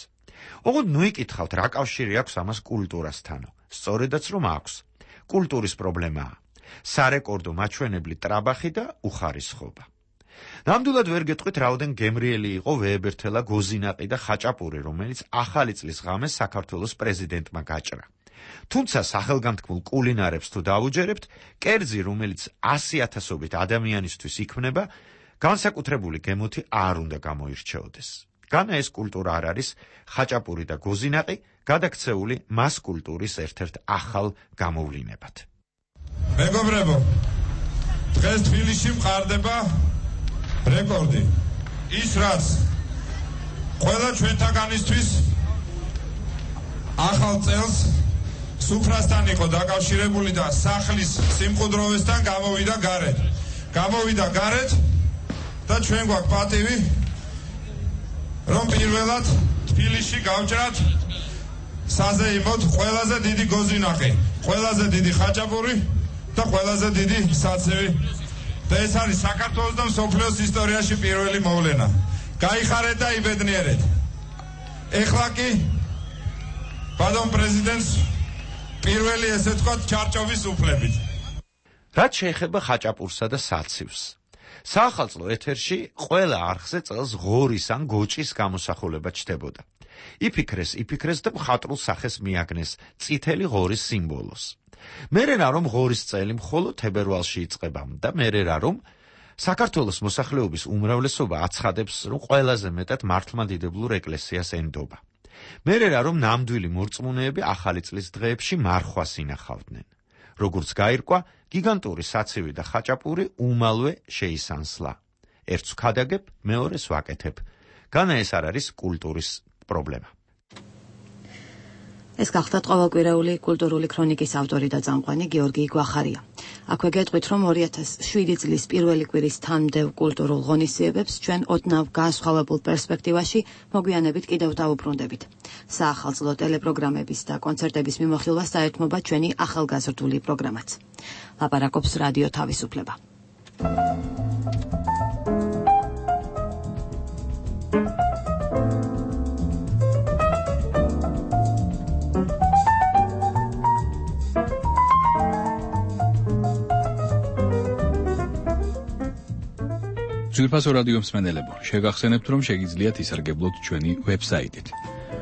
O: ოღონდ ნუ იკითხავთ, რა კავშირი აქვს ამას კულტურასთანო. სწორედაც რომ აქვს. კულტურის პრობლემაა. სარეკორდო მაჩვენებლი ტრაბახი და უხარისხობა. ნამდვილად ვერ გეტყვით, რაოდენ გემრიელი იყო ვეებერთელა გოზინაყი და ხაჭაპური, რომელიც ახალი წლის ღამეს საქართველოს პრეზიდენტმა გაჭრა. თუმცა სახელგანთქმულ კულინარებს თუ დაუჯერებთ, კერძი, რომელიც ასი ათასობით ადამიანისთვის იქმნება, განსაკუთრებული გემოთი არ უნდა გამოირჩეოდეს. განა ეს კულტურა არ არის ხაჭაპური და გოზინაყი, გადაქცეული მას კულტურის ერთ-ერთ ახალ გამოვლინებად.
R: მეგობრებო, დღეს თბილისში მყარდება რეკორდი. ის რაც ყველა ჩვენთაგანისთვის ახალ წელს სუფრასთან იყო დაკავშირებული და სახლის სიმყუდროვესთან გამოვიდა გარეთ. გამოვიდა გარეთ და ჩვენ გვაქვს პატივი რომ პირველად თბილისში გავჭრათ საზეიმოდ ყველაზე დიდი გოზინახი, ყველაზე დიდი ხაჭაპური და ყველაზე დიდი საცივი. და ეს არის საქართველოს და მსოფლიოს ისტორიაში პირველი მოვლენა. გაიხარეთ და იბედნიერეთ. ეხლა კი ბატონ პრეზიდენტს პირველი ესე ვთქვათ ჩარჭოვის უფლებით.
O: რაც შეეხება ხაჭაპურსა და საცივს. საახალწლო ეთერში ყველა არხზე წელს ღორის ან გოჭის გამოსახულება ჩნდებოდა. იფიქრეს, იფიქრეს და მხატვრულ სახეს მიაგნეს წითელი ღორის სიმბოლოს. მერე რა რომ ღორის წელი მხოლოდ თებერვალში იწყებოდა, მერე რა რომ საქართველოს მოსახლეობის უმრავლესობა აცხადებს, რომ ყველაზე მეტად მართლმადიდებლურ ეკლესიას ენდობა. მერე რა რომ ნამდვილი მორწმუნეები ახალი წლის დღეებში მარხვას ინახავდნენ. როგორც გაირკვა, გიგანტური საცივი და ხაჭაპური უმალვე შეისანსლა. ერთს ვქადაგებ, მეორეს ვაკეთებ. განა ეს არ არის კულტურის პრობლემა.
A: ეს გახდათ ყოველკვირეული კულტურული ქრონიკის ავტორი და წამყვანი გიორგი გვახარია. აქვე გეტყვით, რომ ორი ათას შვიდი წლის პირველი კვირის თანმდევ კულტურულ ღონისძიებებს ჩვენ ოდნავ განსხვავებულ პერსპექტივაში მოგვიანებით კიდევ დავუბრუნდებით. საახალწლო ტელეპროგრამების და კონცერტების მიმოხილვას დაერთმობა ჩვენი ახალგაზრდული პროგრამაც. ლაპარაკობს რადიო თავისუფლება.
S: ძვირფასო რადიო მსმენელებო, შეგახსენებთ, რომ შეგიძლიათ ისარგებლოთ ჩვენი ვებსაიტით,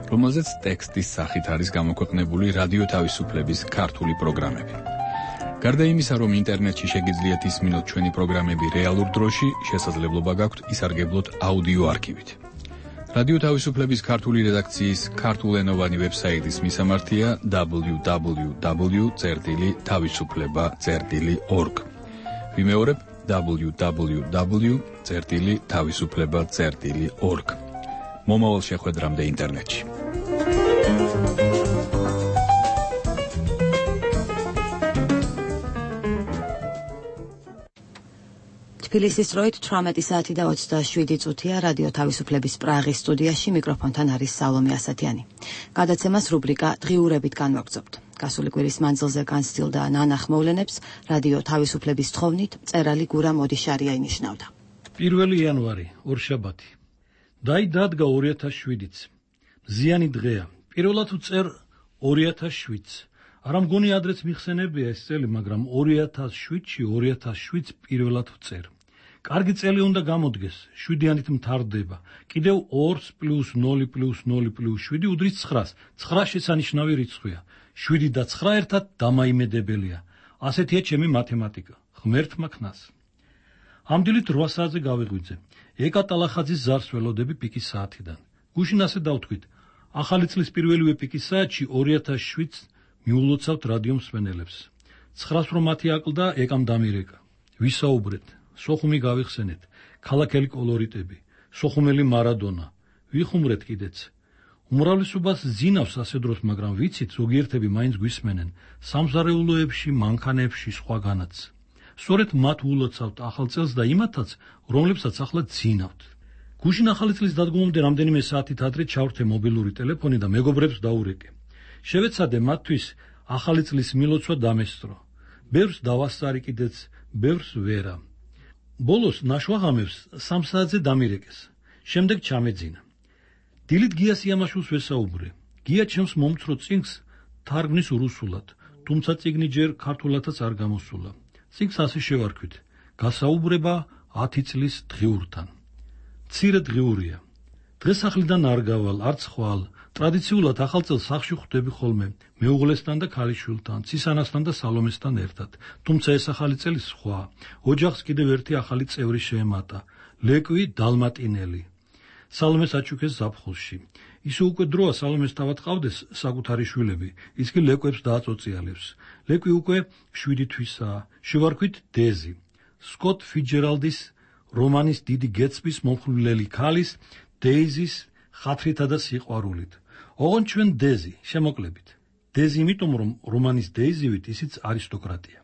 S: რომელზეც ტექსტის სახით არის გამოქვეყნებული რადიო თავისუფლების ქართული პროგრამები. გარდა იმისა, რომ ინტერნეტში შეგიძლიათ ისმინოთ ჩვენი პროგრამები რეალურ დროში, შესაძლებლობა გაქვთ ისარგებლოთ აუდიო არქივით. რადიო თავისუფლების ქართული რედაქციის ქართულენოვანი ვებსაიტის მისამართია დაბლიუ დაბლიუ დაბლიუ წერტილი თავისუფლება წერტილი ორგ. ვიმეორებ დაბლიუ დაბლიუ დაბლიუ წერტილი თავისუფლება წერტილი ორგ. მომავალ შეხვედრამდე ინტერნეტში.
A: თბილისის დროით თვრამეტი საათი და ოცდაშვიდი წუთია რადიო თავისუფლების პრაღის სტუდიაში მიკროფონთან არის სალომე ასათიანი. გადაცემას რუბრიკა დღიურებით განვაგრძობთ. გასული კვირის მანძილზე განსცილდა ნანახ მოვლენებს რადიო თავისუფლების თხოვნით მწერალი გურამ ოდიშარია ინიშნავდა.
E: პირველი იანვარი, ორშაბათი. დაი დადგა ორი ათას შვიდიც. მზიანი დღეა. პირველად ვწერ ორი ათას შვიდს. არა მგონი ადრეც მიხსენებია ეს წელი, მაგრამ ორი ათას შვიდში ორი ათას შვიდს პირველად ვწერ. კარგი წელი უნდა გამოდგეს, შვიდიანით მთავრდება. კიდევ ორს პლუს ნული პლუს ნული პლუს შვიდი უდრის ცხრას. ცხრა შესანიშნავი რიცხვია. შვიდი და ცხრა ერთად დამაიმედებელია. ასეთია ჩემი მათემატიკა. ღმერთმა ქნას. ამ დილით რვა საათზე გავიღვიძე. ეკა ტალახაძის ზარს ველოდები პიკის საათიდან. გუშინ ასე დავთქვით. ახალი წლის პირველივე პიკის საათში ორი ათას შვიდს მიულოცავთ რადიო მსმენელებს. ცხრას რომ მათი აკლდა, ეკამ დამირეკა. ვისაუბრეთ, სოხუმი გავიხსენეთ, ქალაქელი კოლორიტები, სოხუმელი მარადონა. ვიხუმრეთ კიდეც. უმრავლესობას ზინავს ასე დროს, მაგრამ ვიცით, ზოგიერთები მაინც გვისმენენ სამზარეულოებში, მანქანებში, სხვაგანაც. სწორედ მათ ულოცავთ ახალ წელს და იმათაც, რომლებსაც ახლა ზინავთ. გუშინ ახალი წლის დადგომამდე რამდენიმე საათით ადრე ჩავრთე მობილური ტელეფონი და მეგობრებს დაურეკე. შევეცადე მათთვის ახალი წლის მილოცვა დამესწრო. ბევრს დავასწარი კიდეც, ბევრს ვერა. ბოლოს ნაშვაღამებს სამ საათზე დამირეკეს. შემდეგ ჩამეძინა. დილით გიას იამაშვილს ვესაუბრე. გია ჩემს მომცრო წიგნს თარგმნის რუსულად, თუმცა წიგნი ჯერ ქართულადაც არ გამოსულა. წიგნს ასე შევარქვით: გასაუბრება ათი წლის დღიურთან. მცირე დღიურია. დღესახლიდან არ გავალ, არც ხვალ. ტრადიციულად ახალ წელს სახლში ხვდები ხოლმე, მეუღლესთან და ქალიშვილთან, ცისანასთან და სალომესთან ერთად. თუმცა ეს ახალი წელი სხვა. ოჯახს კიდევ ერთი ახალი წევრი შეემატა. ლეკვი დალმატინელი. სალომეს აჩუქეს ზაფხულში. ისე უკვე დროა სალომეს თავად ყავდეს საკუთარი შვილები, ის კი ლეკვებს დააწოწიალებს. ლეკვი უკვე შვიდი თვისაა. შევარქვით დეზი. სკოტ ფიჯერალდის რომანის დიდი გეტსბის მომხვილელი ქალის, დეიზის ხათრითა და სიყვარულით. ოღონდ ჩვენ დეზი, შემოკლებით. დეზი იმიტომ, რომ რომანის დეიზივით ისიც არისტოკრატია.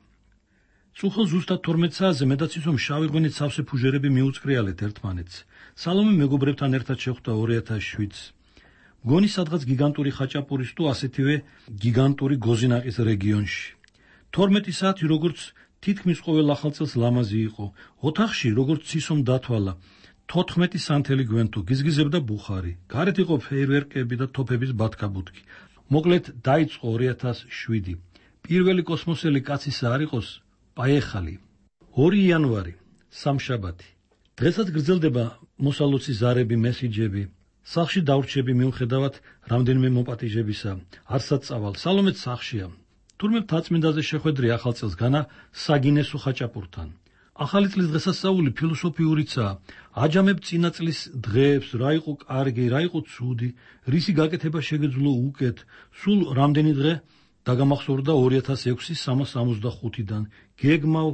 E: წუხელ ზუსტად თორმეტ საათზე მედაცისომ შავი ღვინით სავსე ფუჟერები მიუწყრიალეთ ერთმანეთს. სალომე მეგობრებთან ერთად შეხვდა ორი ათას შვიდს. მგონი სადღაც გიგანტური ხაჭაპურის თუ ასეთივე გიგანტური გოზინაყის რეგიონში. თორმეტი საათი როგორც თითქმის ყოველ ახალწელს ლამაზი იყო. ოთახში როგორც ცისომ დათვალა. თოთხმეტი სანთელი გვენთო გიზგიზებდა ბუხარი. გარეთ იყო ფეირვერკები და თოფების ბათქაბუთქი. მოკლედ დაიწყო ორი ათას შვიდი. პირველი კოსმოსელი კაცისა არ იყოს პაეხალი. ორი იანვარი, სამშაბათი. დღესაც გრძელდება მოსალოცი ზარები, მესიჯები. სახლში დავრჩები მიუხედავად რამდენიმე მოპატიჟებისა. არსად წავალ, სალომეც სახლშია. თურმე მთაწმინდაზე შეხვედრი ახალწელს განა საგინესო ხაჭაპურთან. ახალი წლის დღესასწაული ფილოსოფიურიცაა. აჯამებ წინა წლის დღეებს, რა იყო კარგი, რა იყო ცუდი, რისი გაკეთება შეგეძლო უკეთ. სულ რამდენი დღე დაგამახსოვრდა ორი ათას ექვსი სამას ორმოცდახუთიდან. გეგმავ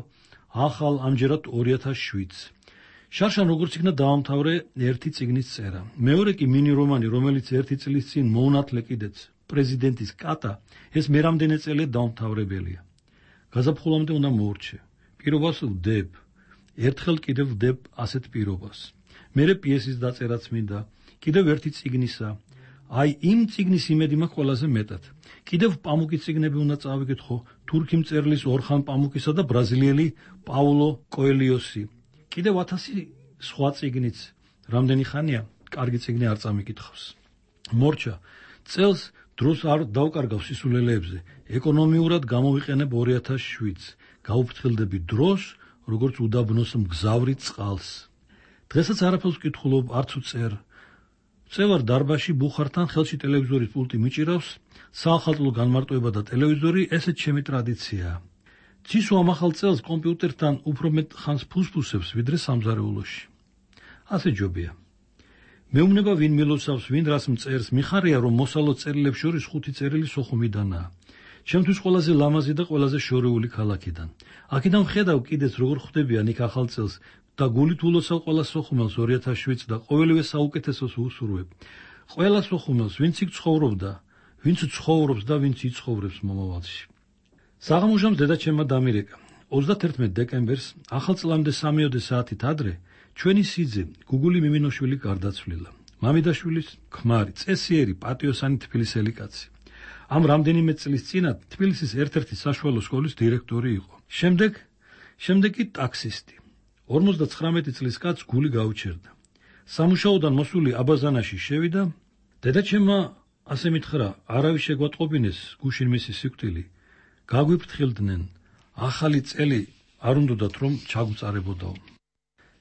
E: ახალ ამჯერად ორი ათას შვიდს. შარშან როგორც იქნა დაამთავრე ერთი წიგნის წერა. მეორე კი მინი რომანი, რომელიც ერთი წლის წინ მოუნათლე კიდეც პრეზიდენტის კატა, ეს მერამდენე წელია დაამთავრებელია. გაზაფხულამდე უნდა მოურჩე. პირობას ვდებ. ერთხელ კიდევ ვდებ ასეთ პირობას. მერე პიესის დაწერაც მინდა. კიდევ ერთი წიგნისა. აი იმ წიგნის იმედი მაქვს ყველაზე მეტად. კიდევ პამუკის წიგნები უნდა წავიკითხო, თურქი მწერლის ორხან პამუკისა და ბრაზილიელი პაულო კოელიოსი. კიდევ ათასი სხვა წიგნიც. რამდენი ხანია კარგი წიგნი არ წამიკითხავს. მორჩა, წელს დროს არ დავკარგავ სისულელეებზე. ეკონომიურად გამოვიყენებ ორი ათას შვიდს. გაუფრთხილდები დროს, როგორც უდაბნოს მგზავრი წყალს. დღესაც არაფერს ვკითხულობ, არც ვწერ. წევარ დარბაზში ბუხართან, ხელში ტელევიზორის პულტი მიჭირავს, საახალწლო განმარტოება და ტელევიზორი, ესეც ჩემი ტრადიციაა. ცისო ამ ახალ წელს კომპიუტერთან უფრო მეტ ხანს ფუსფუსებს, ვიდრე სამზარეულოში. ასე ჯობია. მეუბნება ვინ მილოცავს, ვინ რას მწერს, მიხარია რომ მოსალო წერილებს შორის ხუთი წერილი სოხუმიდანაა. ჩემთვის ყველაზე ლამაზი და ყველაზე შორეული ქალაქიდან. აქედან ვხედავ კიდეც როგორ ხვდებიან იქ ახალ წელს და გულით ულოცავ ყველა სოხუმელს ორი ათას შვიდს და ყოველივე საუკეთესოს ვუსურვებ. ყველა სოხუმელს, ვინც იქ ცხოვრობდა, ვინც ცხოვრობს და ვინც იცხოვრებს მომავალში. საღამოჟამს დედაჩემმა დამირეკა. ოცდაათერთმეტ დეკემბერს ახალწლამდე სამიოდე საათით ადრე ჩვენი სიძე გუგული მიმინოშვილი გარდაცვლილა. მამიდაშვილის ქმარი, წესიერი, პატიოსანი თბილისელი კაცი. ამ რამდენიმე წლის წინათ თბილისის ერთ-ერთი საშუალო სკოლის დირექტორი იყო. შემდეგ, შემდეგ კი ტაქსისტი. ორმოცდაცხრამეტი წლის კაცს გული გაუჩერდა. სამუშაოდან მოსული აბაზანაში შევიდა. დედაჩემმა ასე მითხრა, არავის შეგვატყობინეს გუშინ მისი სიკვდილი. გაგვიფრთხილდნენ, ახალი წელი არ უნდათ რომ ჩაგვწარებოდაო.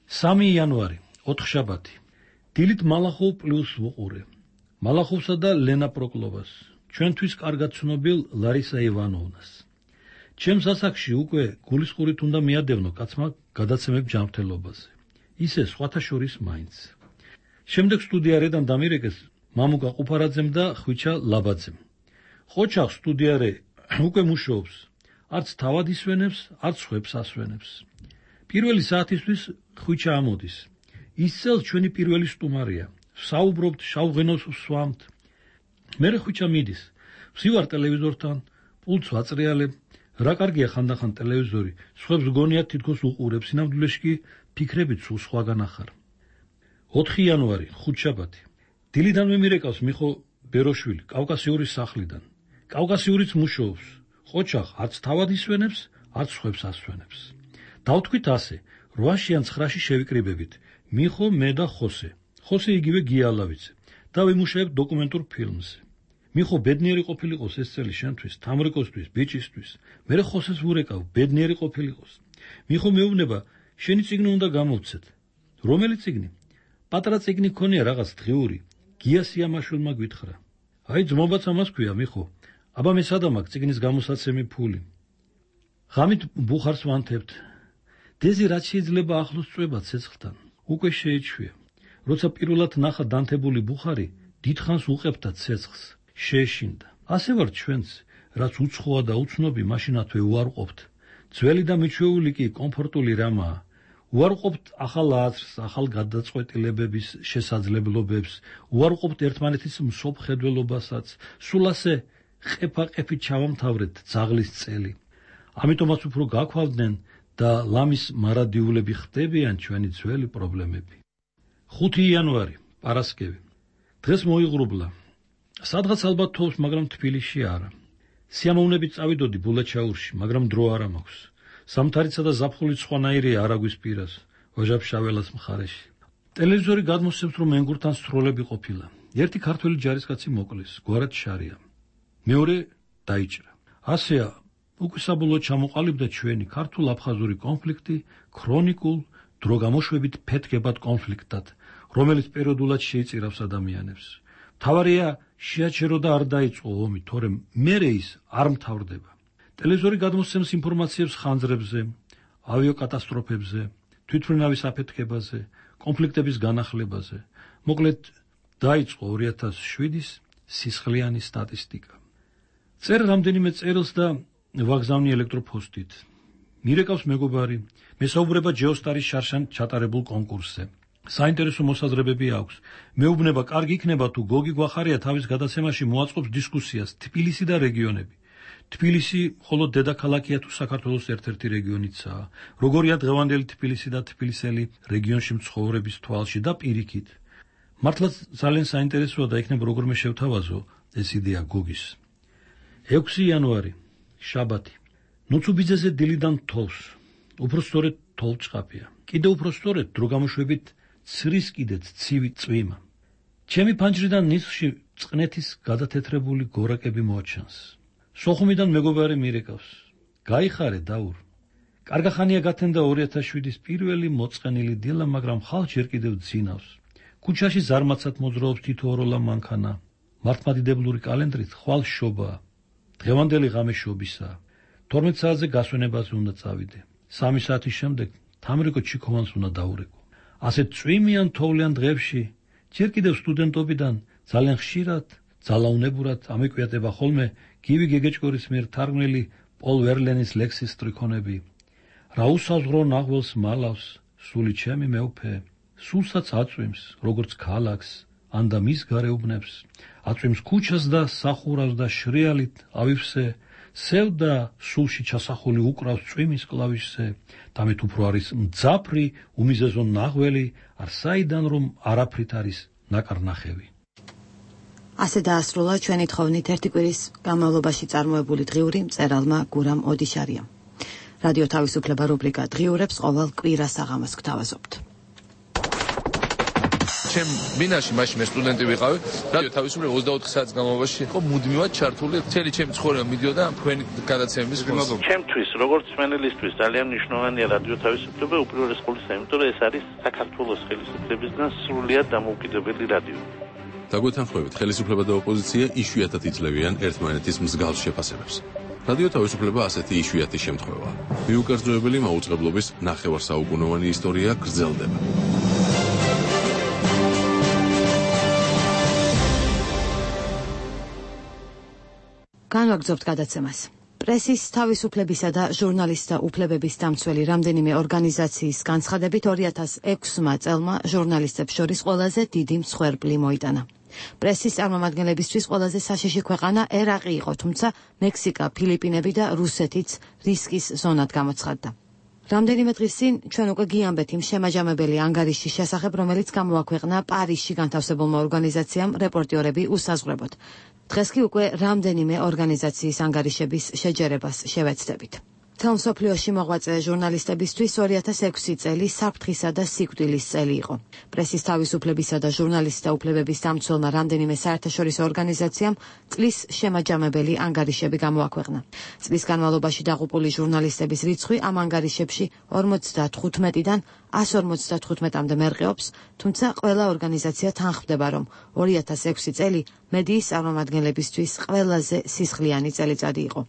E: სამი იანვარი, ოთხშაბათი. დილით მალახოვ პლუს ვუყურე. მალახოვსა და ლენა პროკლოვას, ჩვენთვის კარგად ცნობილ ლარისა ივანოვნას. ჩემს ასაკში უკვე გულისხმობით უნდა მიადევნო კაცმა გადაცემებ ჯანმრთელობაზე. ისე სხვათა შორის მაინც. შემდეგ სტუდიარედან დამირეკეს მამუკა ყუფარაძემ და ხვიჩა ლაბაძემ. ხოჩახ სტუდიარე უკვე მუშაობს. არც თავად ისვენებს, არც ხვებს ასვენებს. პირველი საათისთვის ხვიჩა ამოდის. ისწელს ჩვენი პირველი სტუმარია. საუბრობთ, შავღენოს ვსვამთ. მერე ხვიჩა მიდის. ვსივარ ტელევიზორთან, პულტს ვაწრიალებ. რა კარგია ხანდახან ტელევიზორი, სხვებს გონიათ თითქოს უყურებს, სინამდვილეში კი ფიქრებით სულ სხვაგან ახარ. ოთხი იანვარი, ხუთშაბათი. დილიდან მიმირეკავს მიხო ბეროშვილი, კავკასიურის სახლიდან. კავკასიურიც მუშაობს. ხოჩახ არც თავად ისვენებს, არც სხვებს ასვენებს. დავთქვით ასე, რვაში ან ცხრაში შევიკრიბებით. მიხო, მე და ხოსე. ხოსე იგივე გიალავიძე და ვიმუშავებ დოკუმენტურ ფილმზე. მიხო ბედნიერი ყოფილიყოს ეს წელი შენთვის, თამრიკოსთვის, ბიჭისთვის. მე ხოსეს ვურეკავ, ბედნიერი ყოფილიყოს. მიხო მეუბნება, შენი წიგნი უნდა გამოვცეთ. რომელი წიგნი? პატრა წიგნი ქონია რაღაც დღიური. გია სიამაშვილმა გვითხრა. აი ძმობაც ამას ქვია, მიხო. აბა მე სადა მაქვს წიგნის გამოსაცემი ფული. ღამით ბუხარს ვანთებთ. დეზი რაც შეიძლება ახლოს წვება ცეცხლთან. უკვე შეეჩვია. როცა პირველად ნახა დანთებული ბუხარი, დიდხანს უყებდა ცეცხლს. შეეშინდა. ასე ვარ ჩვენც, რაც უცხოა და უცნობი, მაშინათვე უარყოფთ. ძველი და მიჩვეული კი კომფორტული რამაა. უარყოფთ ახალ აზრს, ახალ გადაწყვეტილებების შესაძლებლობებს, უარყოფთ ერთმანეთის მსოფლმხედველობასაც, სულ ასე ყეფა-ყეფით ჩავამთავრეთ ძაღლის წელი. ამიტომაც უფრო გაქვავდნენ და ლამის მარადიულები ხდებიან ჩვენი ძველი პრობლემები. ხუთი იანვარი, პარასკევი. დღეს მოიღრუბლა. სადღაც ალბათ თოვს, მაგრამ თბილისში არა. სიამოვნებით წავიდოდი ბულაჩაურში, მაგრამ დრო არ მაქვს. სამთარიცა და ზაფხული სხვანაირია არაგვის პირას, ვაჟა-ფშაველას მხარეში. ტელევიზორი გადმოსცემს, რომ ენგურთან სროლები ყოფილა. ერთი ქართველი ჯარისკაცი მოკლეს, გვარად შარია. მეორე დაიჭრა. ასეა, უკვე საბოლოოდ ჩამოყალიბდა ჩვენი ქართულ-აფხაზური კონფლიქტი ქრონიკულ, დროგამოშვებით ფეთქებად კონფლიქტად, რომელიც პერიოდულად შეიწირავს ადამიანებს. მთავარია შეაჩერო და არ დაიწყო ომი, თორემ მერე ის არ მთავრდება. ტელევიზორი გადმოსცემს ინფორმაციებს ხანძრებზე, ავიაკატასტროფებზე, თვითმფრინავის აფეთქებაზე, კონფლიქტების განახლებაზე. მოკლედ, დაიწყო ორი ათას შვიდის სისხლიანი სტატისტიკა. წერ რამდენიმე წერილს და ვაგზავნი ელექტროფოსტით. მირეკავს მეგობარი, მესაუბრება ჯეოსტარის შარშან ჩატარებულ კონკურსზე. საინტერესო მოსაზრებები აქვს. მეუბნება, კარგი იქნება თუ გოგი გვახარია თავის გადაცემაში მოაწყობს დისკუსიას თბილისი და რეგიონები. თბილისი მხოლოდ დედაქალაქია თუ საქართველოს ერთ-ერთი რეგიონიცაა. როგორია დღევანდელი თბილისი და თბილისელი რეგიონში მცხოვრების თვალში და პირიქით. მართლაც ძალიან საინტერესოა და იქნებ როგორმე შევთავაზო ეს იდეა გოგის. ექვსი იანვარი, შაბათი. ნუცუბიძეზე დილიდან თოვს. უფრო სწორედ თოვლჭყაფია. კიდევ უფრო სწორედ დროგამოშვებით ცრის კიდეც ცივი წვიმა. ჩემი ფანჯრიდან ნისხში წყნეთის გადათეთრებული გორაკები მოაჩანს. სოხუმიდან მეგობარი მირეკავს. გაიხარე დაურ. კარგახანია გათენდა ორი ათას შვიდის პირველი მოწყენილი დილა, მაგრამ ხალხ ჯერ კიდევ ძინავს. ქუჩაში ზარმაცად მოძრაობს თითო ოროლა მანქანა. მართლმადიდებლური კალენდრით ხვალ შობაა. დღევანდელი ღამე შობისაა. თორმეტ საათზე გასვენებაზე უნდა წავიდე. სამი საათის შემდეგ თამრიკო ჩიქოვანს უნდა დაურეკო. ასეთ წვიმიან თოვლიან დღეებში ჯერ კიდევ სტუდენტობიდან ძალიან ხშირად, ძალაუნებურად ამეკვიატება ხოლმე გივი გეგეჭკორის მიერ თარგმნილი პოლ ვერლენის ლექსის სტრიქონები. რა უსაზღვრო ნაღველს მალავს, სული ჩემი მეუფე, სულსაც აწვიმს, როგორც ქალაქს, ან და მის გარეუბნებს, აწვიმს ქუჩას და სახურავს და შრიალით ავივსე, სევდა სულში ჩასახული უკრავს წვიმის კლავიშზე, დამეთ უფრო არის მძაფრი, უმიზეზო ნაღველი, არ საიდან რომ არაფრით არის ნაკარნახევი.
A: ასე დაასრულა ჩვენი თხოვნით ერთი კვირის განმავლობაში წარმოებული დღიური მწერალმა გურამ ოდიშარიამ. რადიო თავისუფლება რუბრიკა დღიურებს ყოველ კვირას აღამოს გთავაზობთ.
T: ჩემ მინაში მაშინ მე სტუდენტი ვიყავი, რადიო თავისუფლება ოცდაოთხ საათის განმავლობაში იყო მუდმივად ჩართული, მთელი ჩემი ცხოვრება მიდიოდა თქვენი გადაცემების ფონზე.
U: ჩემთვის, როგორც მენელისთვის, ძალიან მნიშვნელოვანია რადიო თავისუფლება უპირველეს ყოვლისა, იმიტომ რომ ეს არის საქართველოს ხელისუფლებისგან სრულიად დამოუკიდებელი რადიო.
V: დაგვეთანხმებით, ხელისუფლება და ოპოზიცია იშვიათად იძლევიან ერთმანეთის მსგავს შეფასებებს. რადიო თავისუფლება ასეთი იშვიათი შემთხვევაა. მიუკერძოებელი მაუწყებლობის ნახევარსაუკუნოვანი ისტორია გრძელდება.
A: განვაგრძობთ გადაცემას. პრესის თავისუფლებისა და ჟურნალისტთა უფლებების დამცველი რამდენიმე ორგანიზაციის განცხადებით ორი ათას ექვსმა წელმა ჟურნალისტებს შორის ყველაზე დიდი მსხვერპლი მოიტანა. პრესის წარმომადგენლებისთვის ყველაზე საშიში ქვეყანა ერაყი იყო, თუმცა მექსიკა, ფილიპინები და რუსეთიც რისკის ზონად გამოცხადდა. რამდენიმე დღის წინ ჩვენ უკვე გიამბეთ იმ შემაჯამებელი ანგარიშის შესახებ, რომელიც გამოაქვეყნა პარიზში განთავსებულმა ორგანიზაციამ რეპორტიორები უსაზღვრებოდ. დღეს კი უკვე რამდენიმე ორგანიზაციის ანგარიშების შეჯერებას შევეცდებით. თელ მსოფლიოში მოღვაწე ჟურნალისტებისთვის ორი ათას ექვსი წელი საფრთხისა და სიკვდილის წელი იყო. პრესის თავისუფლებისა და ჟურნალისტთა უფლებების დამცველმა რამდენიმე საერთაშორისო ორგანიზაციამ წლის შემაჯამებელი ანგარიშები გამოაქვეყნა. წლის განმავლობაში დაღუპული ჟურნალისტების რიცხვი ამ ანგარიშებში ორმოცდათხუთმეტიდან ასს ორმოცდათხუთმეტამდე მერყეობს, თუმცა ყველა ორგანიზაცია თანხმდება, რომ ორი ათას ექვსი წელი მედიის წარმომადგენლებისთვის ყველაზე სისხლიანი წელიწადი იყო.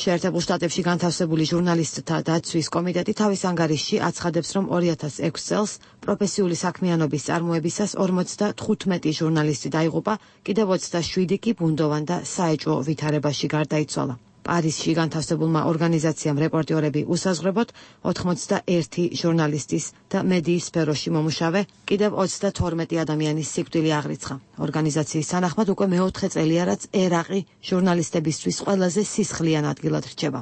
A: შეერთებულ შტატებში განთავსებული ჟურნალისტთა დაცვის კომიტეტი თავის ანგარიშში აცხადებს, რომ ორი ათას ექვსი წელს პროფესიული საქმიანობის წარმოებისას ორმოცდათხუთმეტი ჟურნალისტი დაიღუპა, კიდევ ოცდაშვიდი კი ბუნდოვან და საეჭვო ვითარებაში გარდაიცვალა. პარიზში განთავსებულმა ორგანიზაციამ რეპორტიორები უსაზღვრებოდ ოთხმოცდაერთი ჟურნალისტის და მედიის სფეროში მომუშავე კიდევ ოცდათორმეტი ადამიანის სიკვდილი აღრიცხა. ორგანიზაციის თანახმად უკვე მეოთხე წელია, რაც ერაყი ჟურნალისტებისთვის ყველაზე სისხლიან ადგილად რჩება.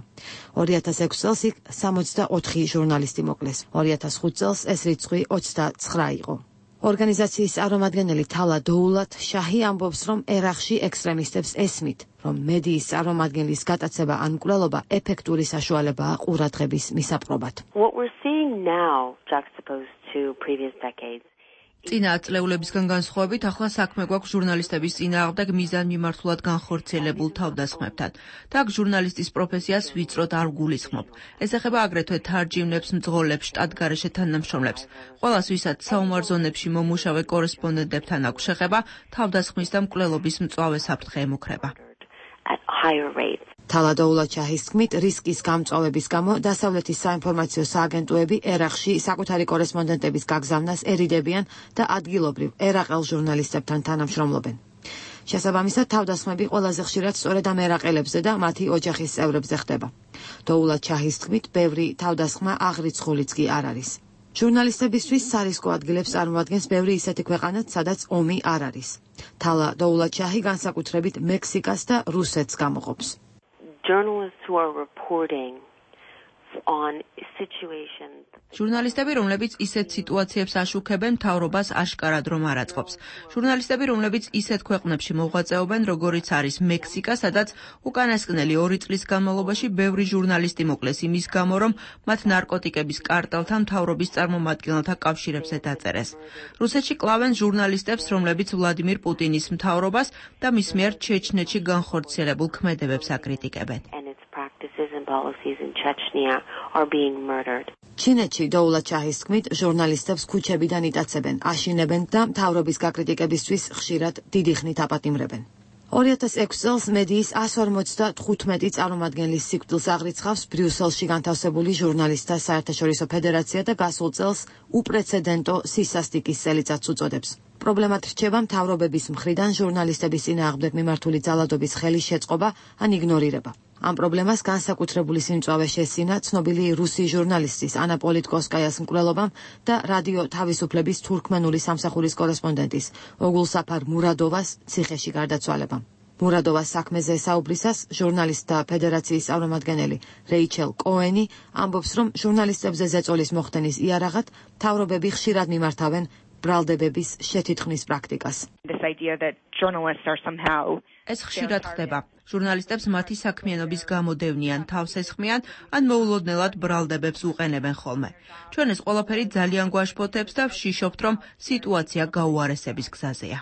A: ორი ათას ექვსი წელს იქ სამოცდაოთხი ჟურნალისტი მოკლეს. ორი ათას ხუთ წელს ეს რიცხვი ოცდაცხრა იყო. ორგანიზაციის წარმომადგენელი თალა დოულათ შაჰი ამბობს, რომ ერაყში ექსტრემისტებს ესმით, რომ მედიის წარმომადგენლის გატაცება ან მკვლელობა ეფექტური საშუალებაა ყურადღების მისაპყრობად.
F: What we're seeing now, juxtaposed to previous decades,
G: წინა ათწლეულებისგან განსხვავებით, ახლა საქმე გვაქვს ჟურნალისტების წინააღმდეგ მიზანმიმართულად განხორციელებულ თავდასხმებთან. და აქ ჟურნალისტის პროფესიას ვიწროდ არ გულისხმობ. ეს ეხება აგრეთვე თარჯიმნებს, მძღოლებს, შტატგარეშე თანამშრომლებს. ყველას, ვისაც საომარ ზონებში მომუშავე კორესპონდენტებთან აქვს შეხება, თავდასხმის და მკვლელობის მწვავე საფრთხე ემუქრება.
F: at higher rates.
A: თალა დოულათ-შაჰის თქმით, რისკის გამწვავების გამო დასავლეთის საინფორმაციო სააგენტოები ერაყში საკუთარი კორესპონდენტების გაგზავნას ერიდებიან და ადგილობრივ ერაყელ ჟურნალისტებთან თანამშრომლობენ. შესაბამისად, თავდასხმები ყველაზე ხშირად სწორედ ამ ერაყელებზე და მათი ოჯახის წევრებზე ხდება. დოულათ-შაჰის თქმით, ბევრი თავდასხმა აღრიცხულიც კი არ არის. ჟურნალისტებისთვის სარისკო ადგილებს წარმოადგენს ბევრი ისეთი ქვეყანაც, სადაც ომი არ არის. თალა დოულათ-შაჰი განსაკუთრებით მექსიკას და რუსეთს გამოყოფს.
F: Journalists who are reporting on situations.
G: ჟურნალისტები, რომლებიც ისეთ სიტუაციებს აშუქებენ, მთავრობას აშკარად რომ არ აწყობს. ჟურნალისტები, რომლებიც ისეთ ქვეყნებში მოღვაწეობენ, როგორიც არის მექსიკა, სადაც უკანასკნელი ორი წლის განმავლობაში ბევრი ჟურნალისტი მოკლეს იმის გამო, რომ მათ ნარკოტიკების კარტელთან მთავრობის წარმომადგენელთა კავშირებზე დაწერეს. რუსეთში კლავენ ჟურნალისტებს, რომლებიც ვლადიმირ პუტინის მთავრობას და მის მიერ ჩეჩნეთში განხორციელებულ ქმედებებს აკრიტიკებენ.
F: Practices and policies in Chechnya are being murdered.
A: ჩინეთში დოულათ-შაჰის თქმით, ჟურნალისტებს ქუჩებიდან იტაცებენ, აშინებენ და მთავრობის გაკრიტიკებისთვის ხშირად დიდი ხნით აპატიმრებენ. ორი ათას ექვსი წელს მედიის ასი ორმოცდათხუთმეტი წარმომადგენლის სიკვდილს აღრიცხავს ბრიუსელში განთავსებული ჟურნალისტთა საერთაშორისო ფედერაცია და გასულ წელს უპრეცედენტო სისასტიკის წელიწადს უწოდებს. პრობლემად რჩება მთავრობების მხრიდან ჟურნალისტების წინააღმდეგ მიმართული ძალადობის ხელის შეწყობა ან იგნორირება. ამ პრობლემას განსაკუთრებული სიმწვავე შესინა ცნობილი რუსი ჟურნალისტის ანა პოლიტკოვსკაიას მკვლელობამ და რადიო თავისუფლების თურქმენული სამსახურის კორესპონდენტის ოგულსაფარ მურადოვას ციხეში გარდაცვალებამ. მურადოვას საქმეზე საუბრისას ჟურნალისტთა ფედერაციის წარმომადგენელი რეიჩელ კოენი ამბობს, რომ ჟურნალისტებზე ზეწოლის მოხდენის იარაღად მთავრობები ხშირად მიმართავენ ბრალდებების შეთითქმის პრაქტიკას.
W: This idea that journalists are somehow
G: ეს ხშირად ხდება. ჟურნალისტებს მათი საქმიანობის გამო დევნიან, თავს ესხმიან, ან მოულოდნელად ბრალდებებს უყენებენ ხოლმე. ჩვენ ეს ყველაფერი ძალიან გვაშფოთებს და ვშიშობთ, რომ სიტუაცია გაუარესების გზაზეა.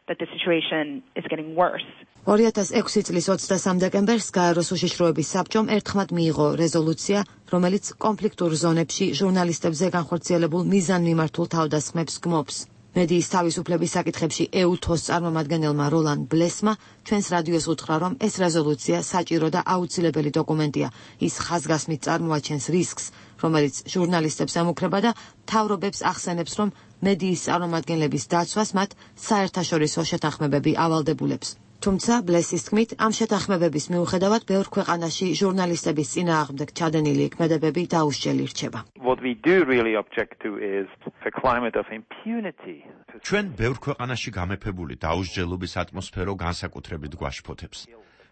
W: that the situation is getting worse.
A: ორი ათას ექვსი წლის ოცდასამ დეკემბერს გაეროს უშიშროების საბჭომ ერთხმად მიიღო რეზოლუცია, რომელიც კონფლიქტურ ზონებში ჟურნალისტებზე განხორციელებულ მიზანმიმართულ თავდასხმებს გმობს. მედიის თავისუფლების საკითხებში ეუთოს წარმომადგენელმა როლან ბლესმა ჩვენს რადიოს უთხრა, რომ ეს რეზოლუცია საჭირო და აუცილებელი დოკუმენტია. ის ხაზგასმით წარმოაჩენს რისკს, რომელიც ჟურნალისტებს ემუქრება და მთავრობებს ახსენებს, რომ მედიის წარმომადგენლების დაცვას მათ საერთაშორისო შეთანხმებები ავალდებულებს. თუმცა ბლესის თქმით, ამ შეთანხმებების მიუხედავად ბევრ ქვეყანაში ჟურნალისტების წინააღმდეგ ჩადენილი ქმედებები დაუსჯელი რჩება.
X: What we do really object to is the climate of impunity.
O: ჩვენ ბევრ ქვეყანაში გამეფებული დაუსჯელობის ატმოსფერო განსაკუთრებით გვაშფოთებს.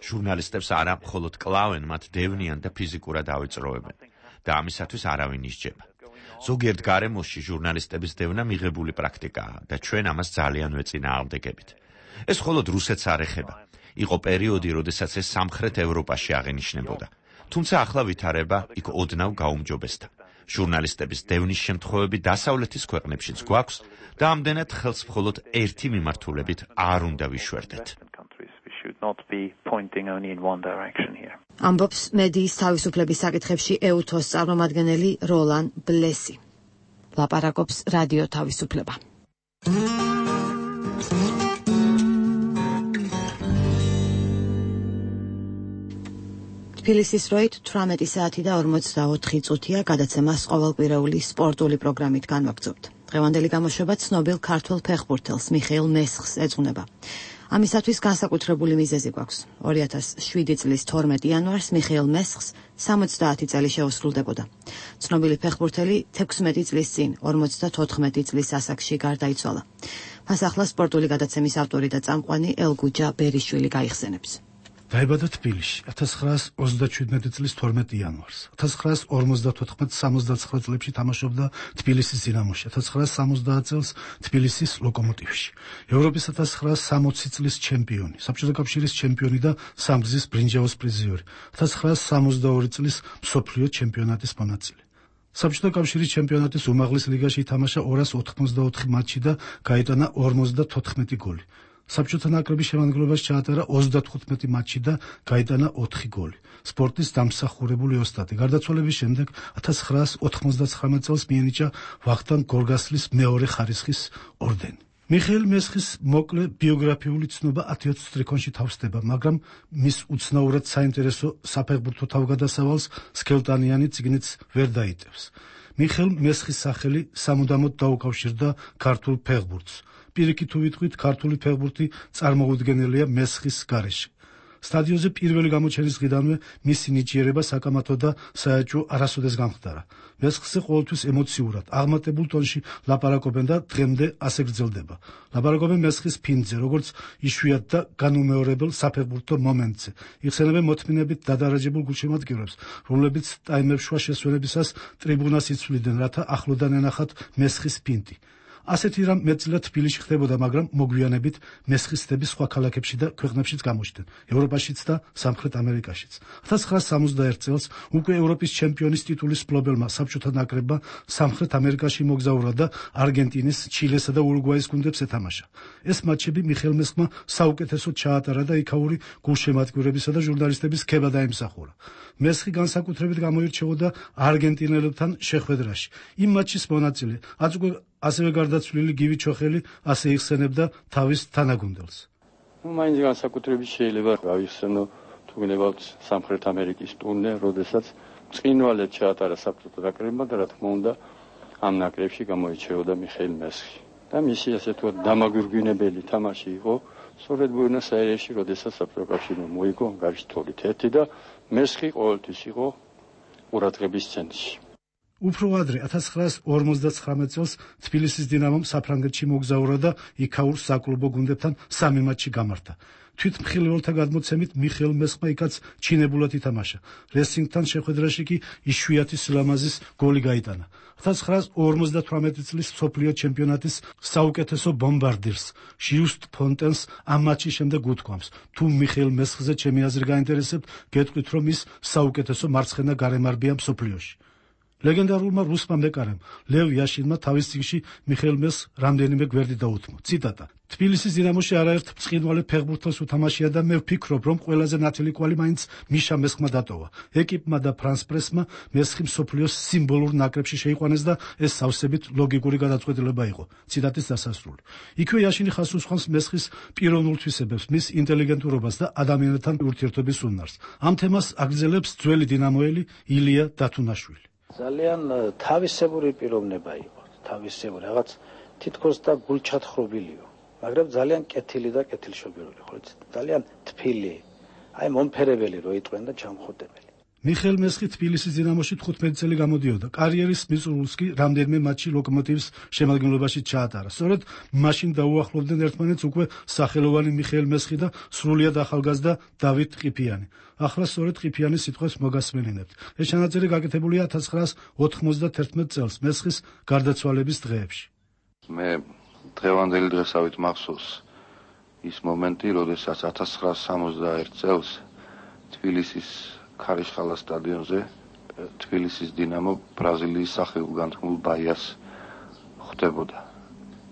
O: ჟურნალისტებს არა მხოლოდ კლავენ, მათ დევნიან და ფიზიკურად ავიწროებენ და ამისათვის არავინ ისჯება. ზოგიერთ გარემოში ჟურნალისტების დევნა მიღებული პრაქტიკაა და ჩვენ ამას ძალიან ვეწინააღმდეგებით. ეს მხოლოდ რუსეთს არ ეხება. იყო პერიოდი, როდესაც ეს სამხრეთ ევროპაში აღენიშნებოდა. თუმცა ახლა ვითარება იქ ოდნავ გაუმჯობესდა. ჟურნალისტების დევნის შემთხვევები დასავლეთის ქვეყნებშიც გვაქვს და ამდენად ხელს მხოლოდ ერთი მიმართულებით არ უნდა ვიშვერდეთ.
A: ამბობს მედიის თავისუფლების საკითხებში ეუთოს წარმომადგენელი როლან ბლესი. ლაპარაკობს რადიო თავისუფლება. თბილისის დროით თვრამეტი საათი და ორმოცდაოთხი წუთია, გადაცემას ყოველკვირეული სპორტული პროგრამით განვაგრძობთ. დღევანდელი გამოშვება ცნობილ ქართველ ფეხბურთელს მიხეილ მესხს ეძღვნება. ამისათვის განსაკუთრებული მიზეზი გვაქვს. ორი ათას შვიდი წლის თორმეტი იანვარს მიხეილ მესხს სამოცდაათი წელი შეუსრულდებოდა. ცნობილი ფეხბურთელი თექვსმეტი წლის წინ ორმოცდათოთხმეტი წლის ასაკში გარდაიცვალა. მას ახლა სპორტული გადაცემის ავტორი და წამყვანი ელგუჯა ბერიშვილი გაიხსენებს.
B: დაიბადა თბილისში ათას ცხრაას ოცდაჩვიდმეტი წლის თორმეტი იანვარს. ათას ცხრაას ორმოცდათოთხმეტ სამოცდაცხრა წლებში თამაშობდა თბილისის დინამოში, ათას ცხრაას სამოცდაათ წელს თბილისის ლოკომოტივში. ევროპის ათას ცხრაას სამოცი წლის ჩემპიონი, საბჭოთა კავშირის ჩემპიონი და სამგზის ბრინჯაოს პრიზიორი, ათას ცხრაას სამოცდაორი წლის მსოფლიო ჩემპიონატის მონაწილე. საბჭოთა კავშირის ჩემპიონატის უმაღლეს ლიგაში ითამაშა ორას ოთხმოცდაოთხი მატჩი და გაიტანა ორმოცდათოთხმეტი გოლი. საბჭოთა ნაკრების შემადგენლობაში ჩაატარა ოცდათხუთმეტი მატჩი და გაიტანა ოთხი გოლი. სპორტის დამსახურებული ოსტატი. გარდაცვალების შემდეგ ათას ცხრაას ოთხმოცდაცხრამეტ წელს მიენიჭა ვახტანგ გორგასლის მეორე ხარისხის ორდენი. მიხეილ მესხის მოკლე ბიოგრაფიული ცნობა ათი ოცი სტრიქონში თავსდება, მაგრამ მის უცნაურად საინტერესო საფეხბურთო თავგადასავალს სქელტანიანი წიგნიც ვერ დაიტევს. მიხეილ მესხის სახელი სამუდამოდ დაუკავშირდა ქართულ ფეხბურთს. პირიქით თუ ვიტყვით, ქართული ფეხბურთი წარმოუდგენელია მესხის გარეშე. სტადიონზე პირველი გამოჩენის დღიდანვე მისი ნიჭიერება საკამათო და საეჭვო არასოდეს გამხდარა. მესხზე ყოველთვის ემოციურად, აღმატებულ ტონში ლაპარაკობენ და დღემდე ასე გრძელდება. ლაპარაკობენ მესხის ფინტზე, როგორც იშვიათ და განუმეორებელ საფეხბურთო მომენტზე. იხსენებენ მოთმინებით დადარაჯებულ გულშემატკივრებს, რომლებიც ტაიმებს შუა შესვენებისას ტრიბუნას იცვლიდნენ, რათა ახლოდან ენახათ მესხის ფინტი. ასეთი რამ მეტწილად თბილისში ხდებოდა, მაგრამ მოგვიანებით მესხისტები სხვა ქალაქებში და ქვეყნებშიც გამოჩნდნენ, ევროპაშიც და სამხრეთ ამერიკაშიც. ათას ცხრაას სამოცდაერთ წელს უკვე ევროპის ჩემპიონის ტიტულის მფლობელმა საბჭოთა ნაკრებმა სამხრეთ ამერიკაში მოგზაურა და არგენტინის, ჩილესა და ურუგვაის გუნდებს ეთამაშა. ეს მატჩები მიხეილ მესხმა საუკეთესოდ ჩაატარა და იქაური გულშემატკივრებისა და ჟურნალისტების ქება დაიმსახურა. მესხი განსაკუთრებით გამოირჩეოდა არგენტინელებთან შეხვედრაში. იმ მატჩის მონაწილე აწუկე ასევე გარდაცვლილი გივი ჩოხელი ასე იხსენებდა თავის თანაგუნდელს.
C: ნუ მაინც განსაკუთრებით შეიძლება გავიხსენო თუ გნებავთ სამხრეთ ამერიკის ტურნე, როდესაც წინვალედ ჩაატარა საბჭოთა ნაკრებმა და რა თქმა უნდა ამ ნაკრებში გამოირჩეოდა მიხეილ მესხი. და მისი ასე თუ დამაგვირგვინებელი თამაში იყო სწორედ ბუენოს-აირესში, როდესაც საბჭოთა კავშირმა მოიგო ანგარიშ თორით ერთი და მესხი ყოველთვის იყო ყურადღების ცენტრში.
B: უფრო ადრე ათას ცხრაას ორმოცდაცხრამეტ წელს თბილისის დინამომ საფრანგეთში მოგზაურა და იქაურ საკლუბო გუნდებთან სამი მატჩი გამართა. თვითმხილველთა გადმოცემით მიხეილ მესხმა იქაც ჩინებულად ითამაშა. რესინგთან შეხვედრაში კი იშვიათი სილამაზის გოლი გაიტანა. ათას ცხრაას ორმოცდათვრამეტი წლის მსოფლიო ჩემპიონატის საუკეთესო ბომბარდირს ჟიუსტ ფონტენს ამ მატჩის შემდეგ უთქვამს: თუ მიხეილ მესხზე ჩემი აზრი გაინტერესებთ, გეტყვით, რომ ის საუკეთესო მარცხენა გარემარბია მსოფლიოში. ლეგენდარულმა რუსმა მეკარემ ლევ იაშინმა თავის წიგნში მიხეილ მესხს რამდენიმე გვერდი დაუთმო. ციტატა: თბილისის დინამოში არაერთ ბრწყინვალე ფეხბურთელს უთამაშია და მე ვფიქრობ, რომ ყველაზე ნათელი კვალი მაინც მიშა მესხმა დატოვა. ეკიპმა და ფრანს პრესმა მესხი მსოფლიოს სიმბოლურ ნაკრებში შეიყვანეს და ეს სავსებით ლოგიკური გადაწყვეტილება იყო. ციტატის დასასრული. იქვე იაშინი ხაზს უსხამს მესხის პიროვნულ თვისებებს, მის ინტელიგენტურობას და ადამიანებთან ურთიერთობის უნარს. ამ თემას აგრძელებს ძველი დინამოელი ილია დათუნაშვილი.
I: ძალიან თავისებური პიროვნება იყო, თავისებური, რაღაც თითქოს და გულჩათხრობილიო, მაგრამ ძალიან კეთილი და კეთილშობილური, ხო იცით? ძალიან თბილი, აი მომფერებელი რო იტყვენ და ჩამხუტებელი.
B: მიხეილ მესხი თბილისის დინამოში თხუთმეტი წელი გამოდიოდა. კარიერის მიწურულს კი რამდენიმე მატჩი ლოკომოტივის შემადგენლობაში ჩაატარა. სწორედ მაშინ დაუახლოვდნენ ერთმანეთს უკვე სახელოვანი მიხეილ მესხი და სრულიად ახალგაზრდა დავით ყიფიანი. ახლა სწორედ ყიფიანის სიტყვებს მოგასმენინებთ. ეს ჩანაწერი გაკეთებულია ათას ცხრაას ოთხმოცდათერთმეტ წელს მესხის გარდაცვალების დღეებში.
J: მე დღევანდელი დღესავით მახსოვს ის მომენტი, როდესაც ათას ცხრაას სამოცდაერთ წელს თბილისის ქარიშხალა სტადიონზე თბილისის დინამო ბრაზილიის სახელგანთქმულ ბაიას ხვდებოდა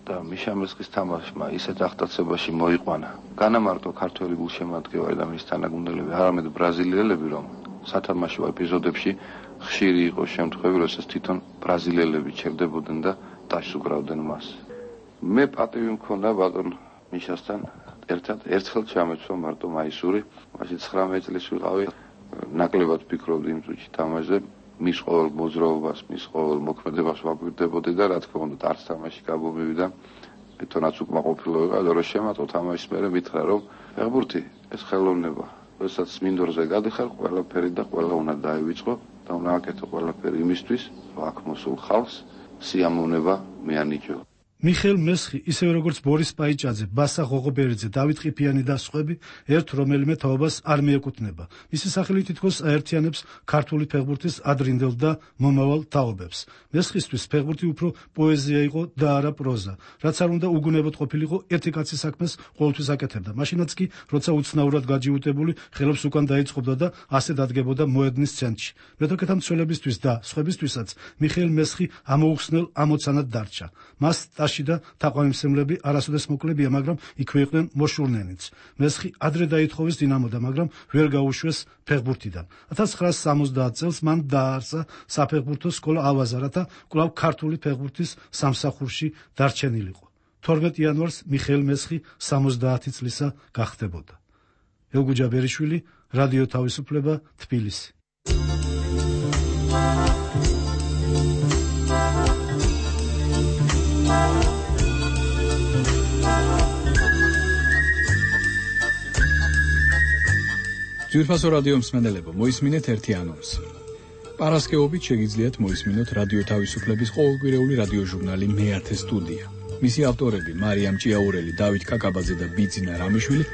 J: და მიშა მესხის თამაშმა ისეთ აღტაცებაში მოიყვანა განამარტო ქართველი გულშემატკივარი და მის თანაგუნდელები, არამედ ბრაზილიელები, რომ სათამაშო ეპიზოდებში ხშირი იყო შემთხვევები, როდესაც თვითონ ბრაზილიელები ჩერდებოდნენ და დაასუკრავდნენ მას. მე პატივი მქონდა ბატონ მიშასთან ერთად ერთხელ ჩამეცვა მარტო მაისური, მაშინ ცხრამეტი წლის ვიყავი. ნაკლებად ფიქრობდი იმ წუთში თამაშზე, მის ყოველ მოძრაობას, მის ყოველ მოქმედებას ვაკვირდებოდი და რა თქმა უნდა არც თამაში გამომივიდა თვითონაც უკმაყოფილო ვიყავ და რომ შემატო თამაშის მერე მითხრა რომ ფეხბურთი ეს ხელოვნება, როდესაც მინდორზე გადიხარ, ყველაფერი და ყველა უნდა დაივიწყო და უნდა აკეთო ყველაფერი იმისთვის, რომ აქ მოსულ ხალხს სიამოვნება მეანიჭო.
B: მიხეილ მესხი, ისევე როგორც ბორის პაიჭაძე, ბასა ღოღობერიძე, დავით ყიფიანი და სხვები, ერთ რომელიმე თაობას არ მიეკუთვნება. მისი სახელი თითქოს აერთიანებს ქართული ფეხბურთის ადრინდელ და მომავალ თაობებს. მესხისთვის ფეხბურთი უფრო პოეზია იყო და არა პროზა, რაც არ უნდა უგუნებოდ ყოფილიყო ერთი კაცის საქმეს ყოველთვის აკეთებდა. მაშინაც კი, როცა უცნაურად გაჯიუტებული ხელებს უკან დაიწყობდა და ასე დადგებოდა მოედნის ცენტრში. მეთოქეთა მცველებისთვის და სხვებისთვისაც მიხეილ მესხი ამოუხსნელ ამოცანად დარჩა. მას და თაყვანისმცემლები არასოდეს მოკლებია, მაგრამ იქვე იყვნენ მოშურნენიც. მესხი ადრე დაითხოვეს დინამოდა, მაგრამ ვერ გაუშვეს ფეხბურთიდან. ათას ცხრაასი სამოცდაათ წელს მან დააარსა საფეხბურთო სკოლა ავაზარათა კვლავ ქართული ფეხბურთის სამსახურში დარჩენილიყო. თორმეტ იანვარს მიხეილ მესხი სამოცდაათი წლისა გახდებოდა. ელგუჯა ბერიშვილი, რადიო თავისუფლება, თბილისი.
S: ძვირფასო რადიო მსმენელებო, მოისმინეთ ერთი ანონსი. პარასკევობით შეგიძლიათ მოისმინოთ რადიო თავისუფლების ყოველკვირეული რადიო ჟურნალი მეათე სტუდია. მისი ავტორები მარიამ ჭიაურელი, დავით კაკაბაძე და ბიძინა რამიშვილი,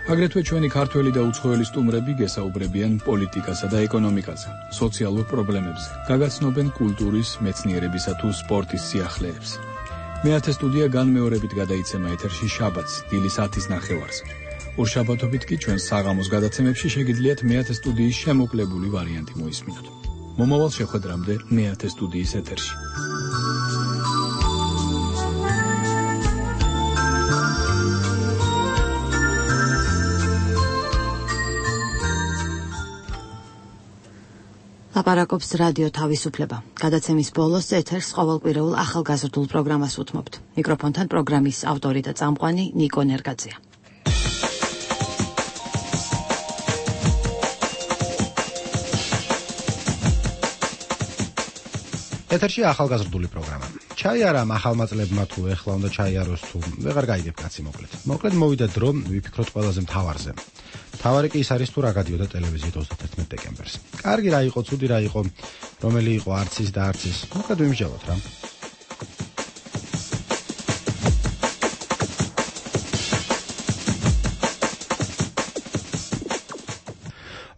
S: აგრეთვე ჩვენი ქართველი და უცხოელი სტუმრები გესაუბრებიან პოლიტიკასა და ეკონომიკაზე, სოციალურ პრობლემებზე, გაგაცნობენ კულტურის, მეცნიერებისა თუ სპორტის სიახლეებს. მეათე სტუდია განმეორებით გადაიცემა ეთერში შაბათს, დილის ათის ნახევარზე. ორშაბათობით კი ჩვენ საღამოს გადაცემებში შეგიძლიათ მეათე სტუდიის შემოკლებული ვარიანტი მოისმინოთ. მომავალ შეხვედრამდე მეათე სტუდიის ეთერში.
A: ლაპარაკობს რადიო თავისუფლება. გადაცემის ბოლოს ეთერს ყოველკვირეულ ახალგაზრდულ პროგრამას უთმობთ. მიკროფონთან პროგრამის ავტორი და წამყვანი ნიკო ნერგაძეა.
D: ეთერში ახალგაზრდული პროგრამა. ჩაი არა ახალმა წლებმა თუ ეხლა უნდა ჩაიაროს თუ ვეღარ გაიგებ კაცი მოკლედ. მოკლედ მოვიდა დრო ვიფიქროთ ყველაზე მთავარზე. მთავარი კი ის არის თუ რა გადიოდა ტელევიზიით ოცდათერთმეტ დეკემბერს. კარგი რა იყო, ცუდი რა იყო, რომელი იყო არც ის და არც ის. მოკლედ ვიმსჯელოთ რა.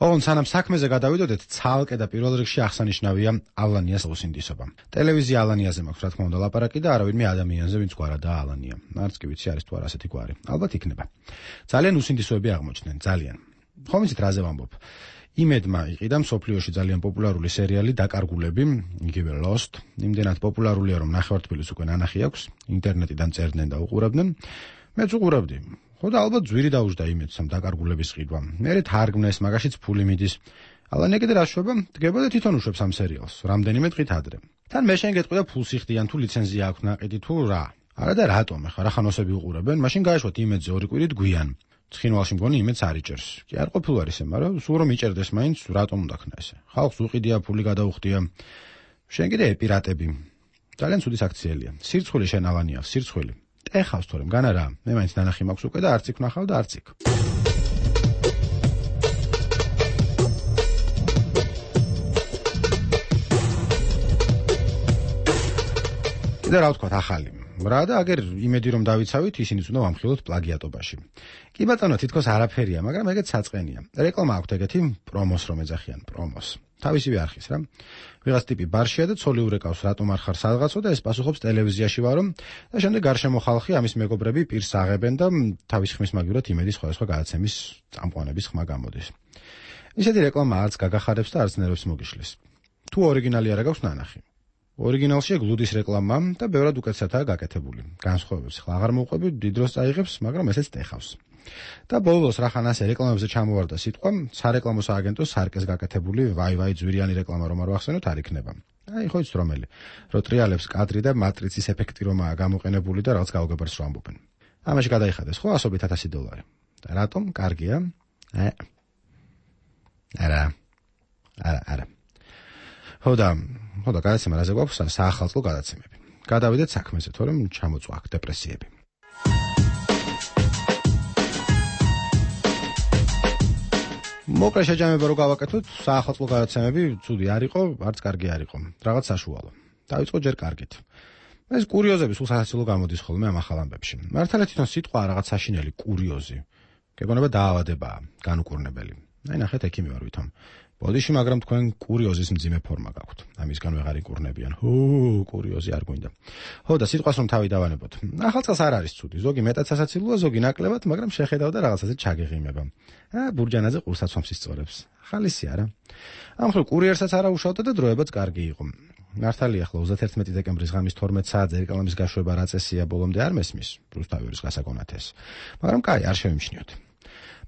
D: ოღონ სანამ საქმეზე გადავიდოდეთ, ცალკე და პირველ რიგში აღსანიშნავია ალანიას უსინდისობა. ტელევიზია ალანიაზე მაქვს, რა თქმა უნდა, ლაპარაკი და არავითარ ადამიანზე, ვინც გვარადაა ალანია. არც კი ვიცი არის თუ არა ასეთი გვარი. ალბათ იქნება. ძალიან უსინდისოები აღმოჩნდნენ, ძალიან. ხომ იცით რაზე ვამბობ? იმედმა იყიდა მსოფლიოში ძალიან პოპულარული სერიალი დაკარგულები, იგივე Lost, იმდენად პოპულარულია, რომ ნახევართბილისს უკვე ნანახი აქვს, ინტერნეტიდან წერდნენ და უყურებდნენ. მეც უყურებდი. ხო და ალბათ ძვირი დაუждა იმედს ამ დაკარგულების ყიდვა. მერე თარგმნეს, მაგაშიც ფული მიდის. ალანია კიდე რა შვება? დგება და თვითონ უშვებს ამ სერიალს, რამდენიმე დღით ადრე. თან მე შენ გეტყვი და ფულს იხდიან თუ ლიცენზია აქვს ნაყიდი თუ რა. არა და რატომ ახლა რა ხანოსები უყურებენ? მაშინ გაეშვათ იმედზე ორი კვირით გვიან. ცხინვალში მგონი იმედს არ იჭერს. კი არ ყოფილვარ ისე, მაგრამ სულ რომ იჭერდეს მაინც რატომ უნდა ქნა ესე? ხალხს უყიდია, ფული გადაუხდია. შენ კიდე ეპირატები. ძალიან ცუდი საქციელია. სირცხვილი შენ ალანია, სირცხვილი. ეხავს თორემ განა რა, მე მაინც ნანახი მაქვს უკვე და არც იქ ვნახავ და არც იქ. კიდე რა ვთქვათ ახალი. რა და აგერ იმედი რომ დავიცავით, ისინიც უნდა ვამხილოთ პლაგიატობაში. კი ბატონო, თითქოს არაფერია, მაგრამ ეგეც საწყენია. რეკლამა აქვს ეგეთი პრომოს რომ ეძახიან, პრომოს. თავისივე არხის რა. ვიღაც ტიპი ბარშია და ცოლი ურეკავს, რატომ არ ხარ სადღაცო და ეს პასუხობს ტელევიზიაში ვარო და შემდეგ გარშემო ხალხი ამის მეგობრები პირს აღებენ და თავის ხმის მაგივრად იმედის სხვადასხვა გადაცემის წამყვანების ხმა გამოდის. ისეთი რეკლამა არც გაგახარებს და არც ნერვებს მოგიშლის. თუ ორიგინალი არა გაქვს ნანახი. ორიგინალში გლუდის რეკლამა და ბევრად უკეთესადაა გაკეთებული. განსხვავებებს ხლა აღარ მოვყვები, დიდ დროს წაიღებს, მაგრამ ესეც ტეხავს. და ბოლოს რახან ასე რეკლამებზე ჩამოვარდა სიტყვა, სარეკლამო სააგენტოს სარკეს გაკეთებული ვაი ვაი ძვირიანი რეკლამა რომ არ ვახსენოთ არ იქნება. აი ხო იცით რომელი. რო ტრიალებს კადრი და მატრიცის ეფექტი რომაა გამოყენებული და რაღაც გაუგებრს რო ამბობენ. ამაში გადაიხადეს ხო ასობით ათასი დოლარი. და რატომ? კარგია. აი. არა. არა, არა. ხო და, ხო და გადაცემა რაზე გვაქვს? საახალწლო გადაცემები. გადავიდეთ საქმეზე, თორემ ჩამოწვა აქ დეპრესიები. მოკლე შეჯამება რო გავაკეთოთ, საახალწლო გადაცემები ცუდი არ იყო, არც კარგი არ იყო. რაღაც საშუალო. დაიწყო ჯერ კარგით. ეს კურიოზები სულ სასაცილო გამოდის ხოლმე ამ ახალ ამბებში. მართალია თვითონ სიტყვა რაღაც საშინელი კურიოზი. გეგონება დაავადებაა, განუკურნებელი. აი ნახეთ, ექიმი ვარ ვითომ. ბოდიში, მაგრამ თქვენ კურიოზის მძიმე ფორმა გაქვთ. ამისგან ვეღარ იკურნებიან. ჰუ, კურიოზი არ გვინდა. ხო და სიტყვას რომ თავი დავანებოთ. ახალ წელს არ არის ცუდი, ზოგი მეტად სასაცილოა, ზოგი ნაკლებად, მაგრამ შეხედავ და რაღაცაზე ჩაგეღიმება. ა ბურჯანაძე ყურსაც ვამს ისწორებს. ხალისი არა. ამ ხო კურიერსაც არა უშავდა და დროებაც კარგი იყო. მართალია ახლა ოცდაერთმეტი დეკემბრის ღამის თორმეტ საათზე რეკლამის გაშვება რა წესია ბოლომდე არ მესმის, რუსთავის გასაგონათეს. მაგრამ კაი, არ შევიმჩნიოთ.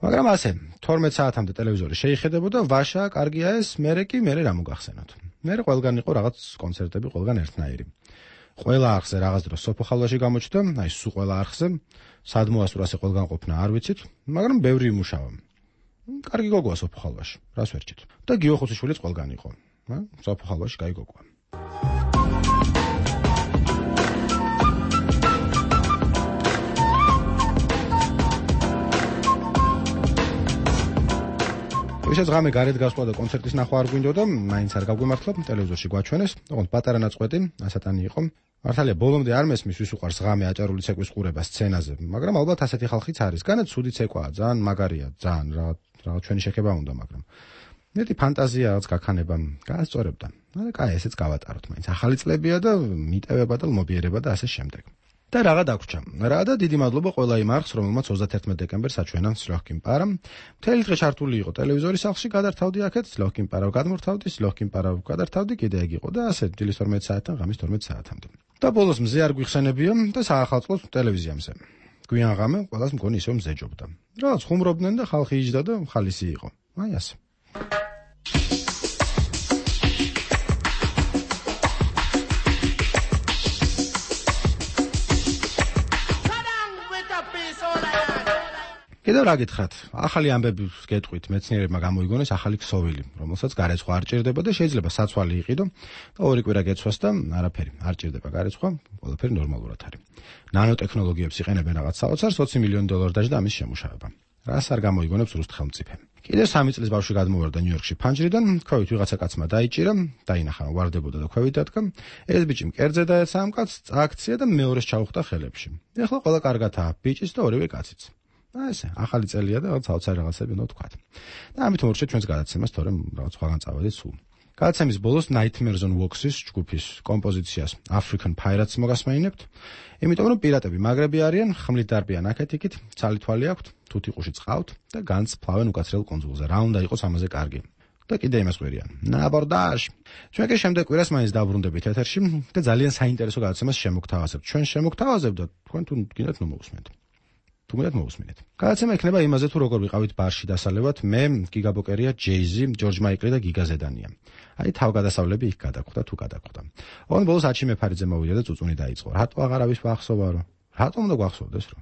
D: მაგრამ ასე, თორმეტ საათამდე ტელევიზორი შეიხედებოდა, ვაშა, კარგია ეს, მერე კი მერე რა მოგახსენოთ. მერე ყველგან იყო რაღაც კონცერტები, ყველგან ერთნაირი. ყველა არხზე რაღაც დროს სოფოხალვაში გამოჩნდა, აი სულ ყველა არხზე, სადმოასურასე ყველგან ყოფნა არ ვიცით, მაგრამ ბევრი იმუშავა. კარგი გოგოა სოფოხალვაში, რას ვერჩით. და გიო ხუციშვილიც ყველგან იყო. ა სოფოხალვაში კაი გოგოა. ვისაც ღამე გარეთ გასვლა და კონცერტის ნახვა არ გვინდოდა, მაინც არ გაგვიმართლა, ტელევიზორში გვაჩვენეს, ოღონდ პატარა ნაწყვეტი, ასატანი იყო. მართალია ბოლომდე არ მესმის ვის უყარს ღამე აჭარული ცეკვის ყურება სცენაზე, მაგრამ ალბათ ასეთი ხალხიც არის. განაც ცუდი ცეკვაა, ძალიან მაგარია, ძალიან რაღაც რაღაც ჩვენი შეხება უნდა, მაგრამ მეტი ფანტაზია რაღაც გაქანება გაასწორებდა. არა, კაი, ესეც გავატაროთ, მაინც ახალი წლებია და მიტევება და ლმობიერება და ასე შემდეგ. და რაღა დაგვრჩა. რა და დიდი მადლობა ყველა იმ არხს, რომელმაც ოცდაერთმეტი დეკემბერს აჩვენა სლოხკინ პარა. მთელი დღე ჩართული იყო ტელევიზორის სახლში, გადართავდი აქეთ, სლოხკინ პარავ გადმორთავდი, სლოხკინ პარავ გადართავდი, კიდე ეგ იყო და ასე დილის თორმეტ საათიდან ღამის თორმეტ საათამდე. და ბოლოს მზე არ გვიხსენებია და საახალწლო ტელევიზიამზე. გვიან ღამე ყველას მგონი ისევ მზეჯობდა. რაღაც ხუმრობდნენ და ხალხი იჯდა და ხალისი იყო. აი ასე. კიდევ რა გითხრათ, ახალი ამბები გეტყვით, მეცნიერებმა გამოიგონეს ახალი ქსოვილი, რომელსაც გარეცხვა არ ჭირდება და შეიძლება საცვალი იყიდო და ორი კვირა გეცვას და არაფერი, არ ჭირდება გარეცხვა, ყველაფერი ნორმალურად არის. ნანოტექნოლოგიებს იყენებენ რაღაც საოცარს, ოცი მილიონი დოლარი დაჯდა ამის შემუშავება. რას არ გამოიგონებს რუსთ ხელმწიფე. კიდევ სამი წლის ბავშვი გადმოვარდა ნიუ-იორკში ფანჯრიდან, ქვევით ვიღაცა კაცმა დაიჭირა, დაინახა ვარდებოდა და ქვევით დადგა. ეს ბიჭი მკერდზე დაეცა ამ კაცს, წააქცია და მეორეს ჩაუხდა ხელებში. ეხლა ყველა კარგადაა, ბიჭიც და ორივე კაციც. აი ესე, ახალი წელია და რაღაც საოცარი რაღაცები უნდა ვთქვათ. და ამით მოვარჩეთ ჩვენს გადაცემას, თორემ რაღაც სხვაგან წავედით სულ. გადაცემის ბოლოს Nightmares on Wax-ის ჯგუფის კომპოზიციას African Pirates მოგასმენინებთ, იმიტომ რომ პირატები მაგრები არიან, ხმლით დარბიან აქეთ-იქით, ცალი-თვალი აქვთ, თუთიყუში წყავთ და განძს ფლავენ უკაცრიელ კუნძულზე. რა უნდა იყოს ამაზე კარგი? და კიდე იმას ყვირიან. ნაბორდაჟ. ჩვენ კი შემდეგ კვირას მაინც დაბრუნდებით ეთერში და ძალიან საინტერესო გადაცემას შემოგთავაზებთ. ჩვენ შემოგთავაზებთ და თქვენ თუ გინდათ ნუ მოგусმენთ. თუმცა მოусმინეთ. გადაცემა იქნება იმაზე თუ როგორ ვიყავით ბარში დასალევად, მე, გიგა ბოკერია, ჯეიზი, ჯორჯ მაიკლი და გიგა ზედანია. აი თავგადასავლები იქ გადაგვხდა თუ გადაგვხდა. ოღონდ ბოლოს აჩი მეფარიძე მოვიდა და წუწუნი დაიწყო. რატო აღარავის ვახსოვა რო? რატომ უნდა გვახსოვდეს რო?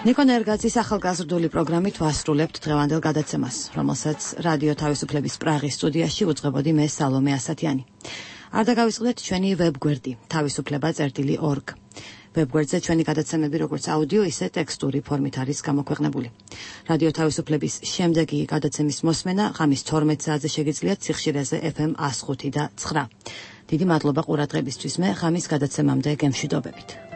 A: ნიკო ნერგაძის ახალგაზრდული პროგრამით ვასრულებთ დღევანდელ გადაცემას, რომელსაც რადიო თავისუფლების პრაღის სტუდიაში უძღვებოდი მე სალომე ასათიანი. არ დაგავიწყდეთ ჩვენი ვებგვერდი თავისუფლება წერტილი ორგ. ვებგვერდზე ჩვენი გადაცემები როგორც აუდიო, ისე ტექსტური ფორმით არის გამოქვეყნებული. რადიო თავისუფლების შემდეგი გადაცემის მოსმენა ღამის თორმეტ საათზე შეგიძლიათ სიხშირეზე ეფ ემ one oh five და nine. დიდი მადლობა ყურადღებისთვის. მე ღამის გადაცემამდე გემშვიდობებით.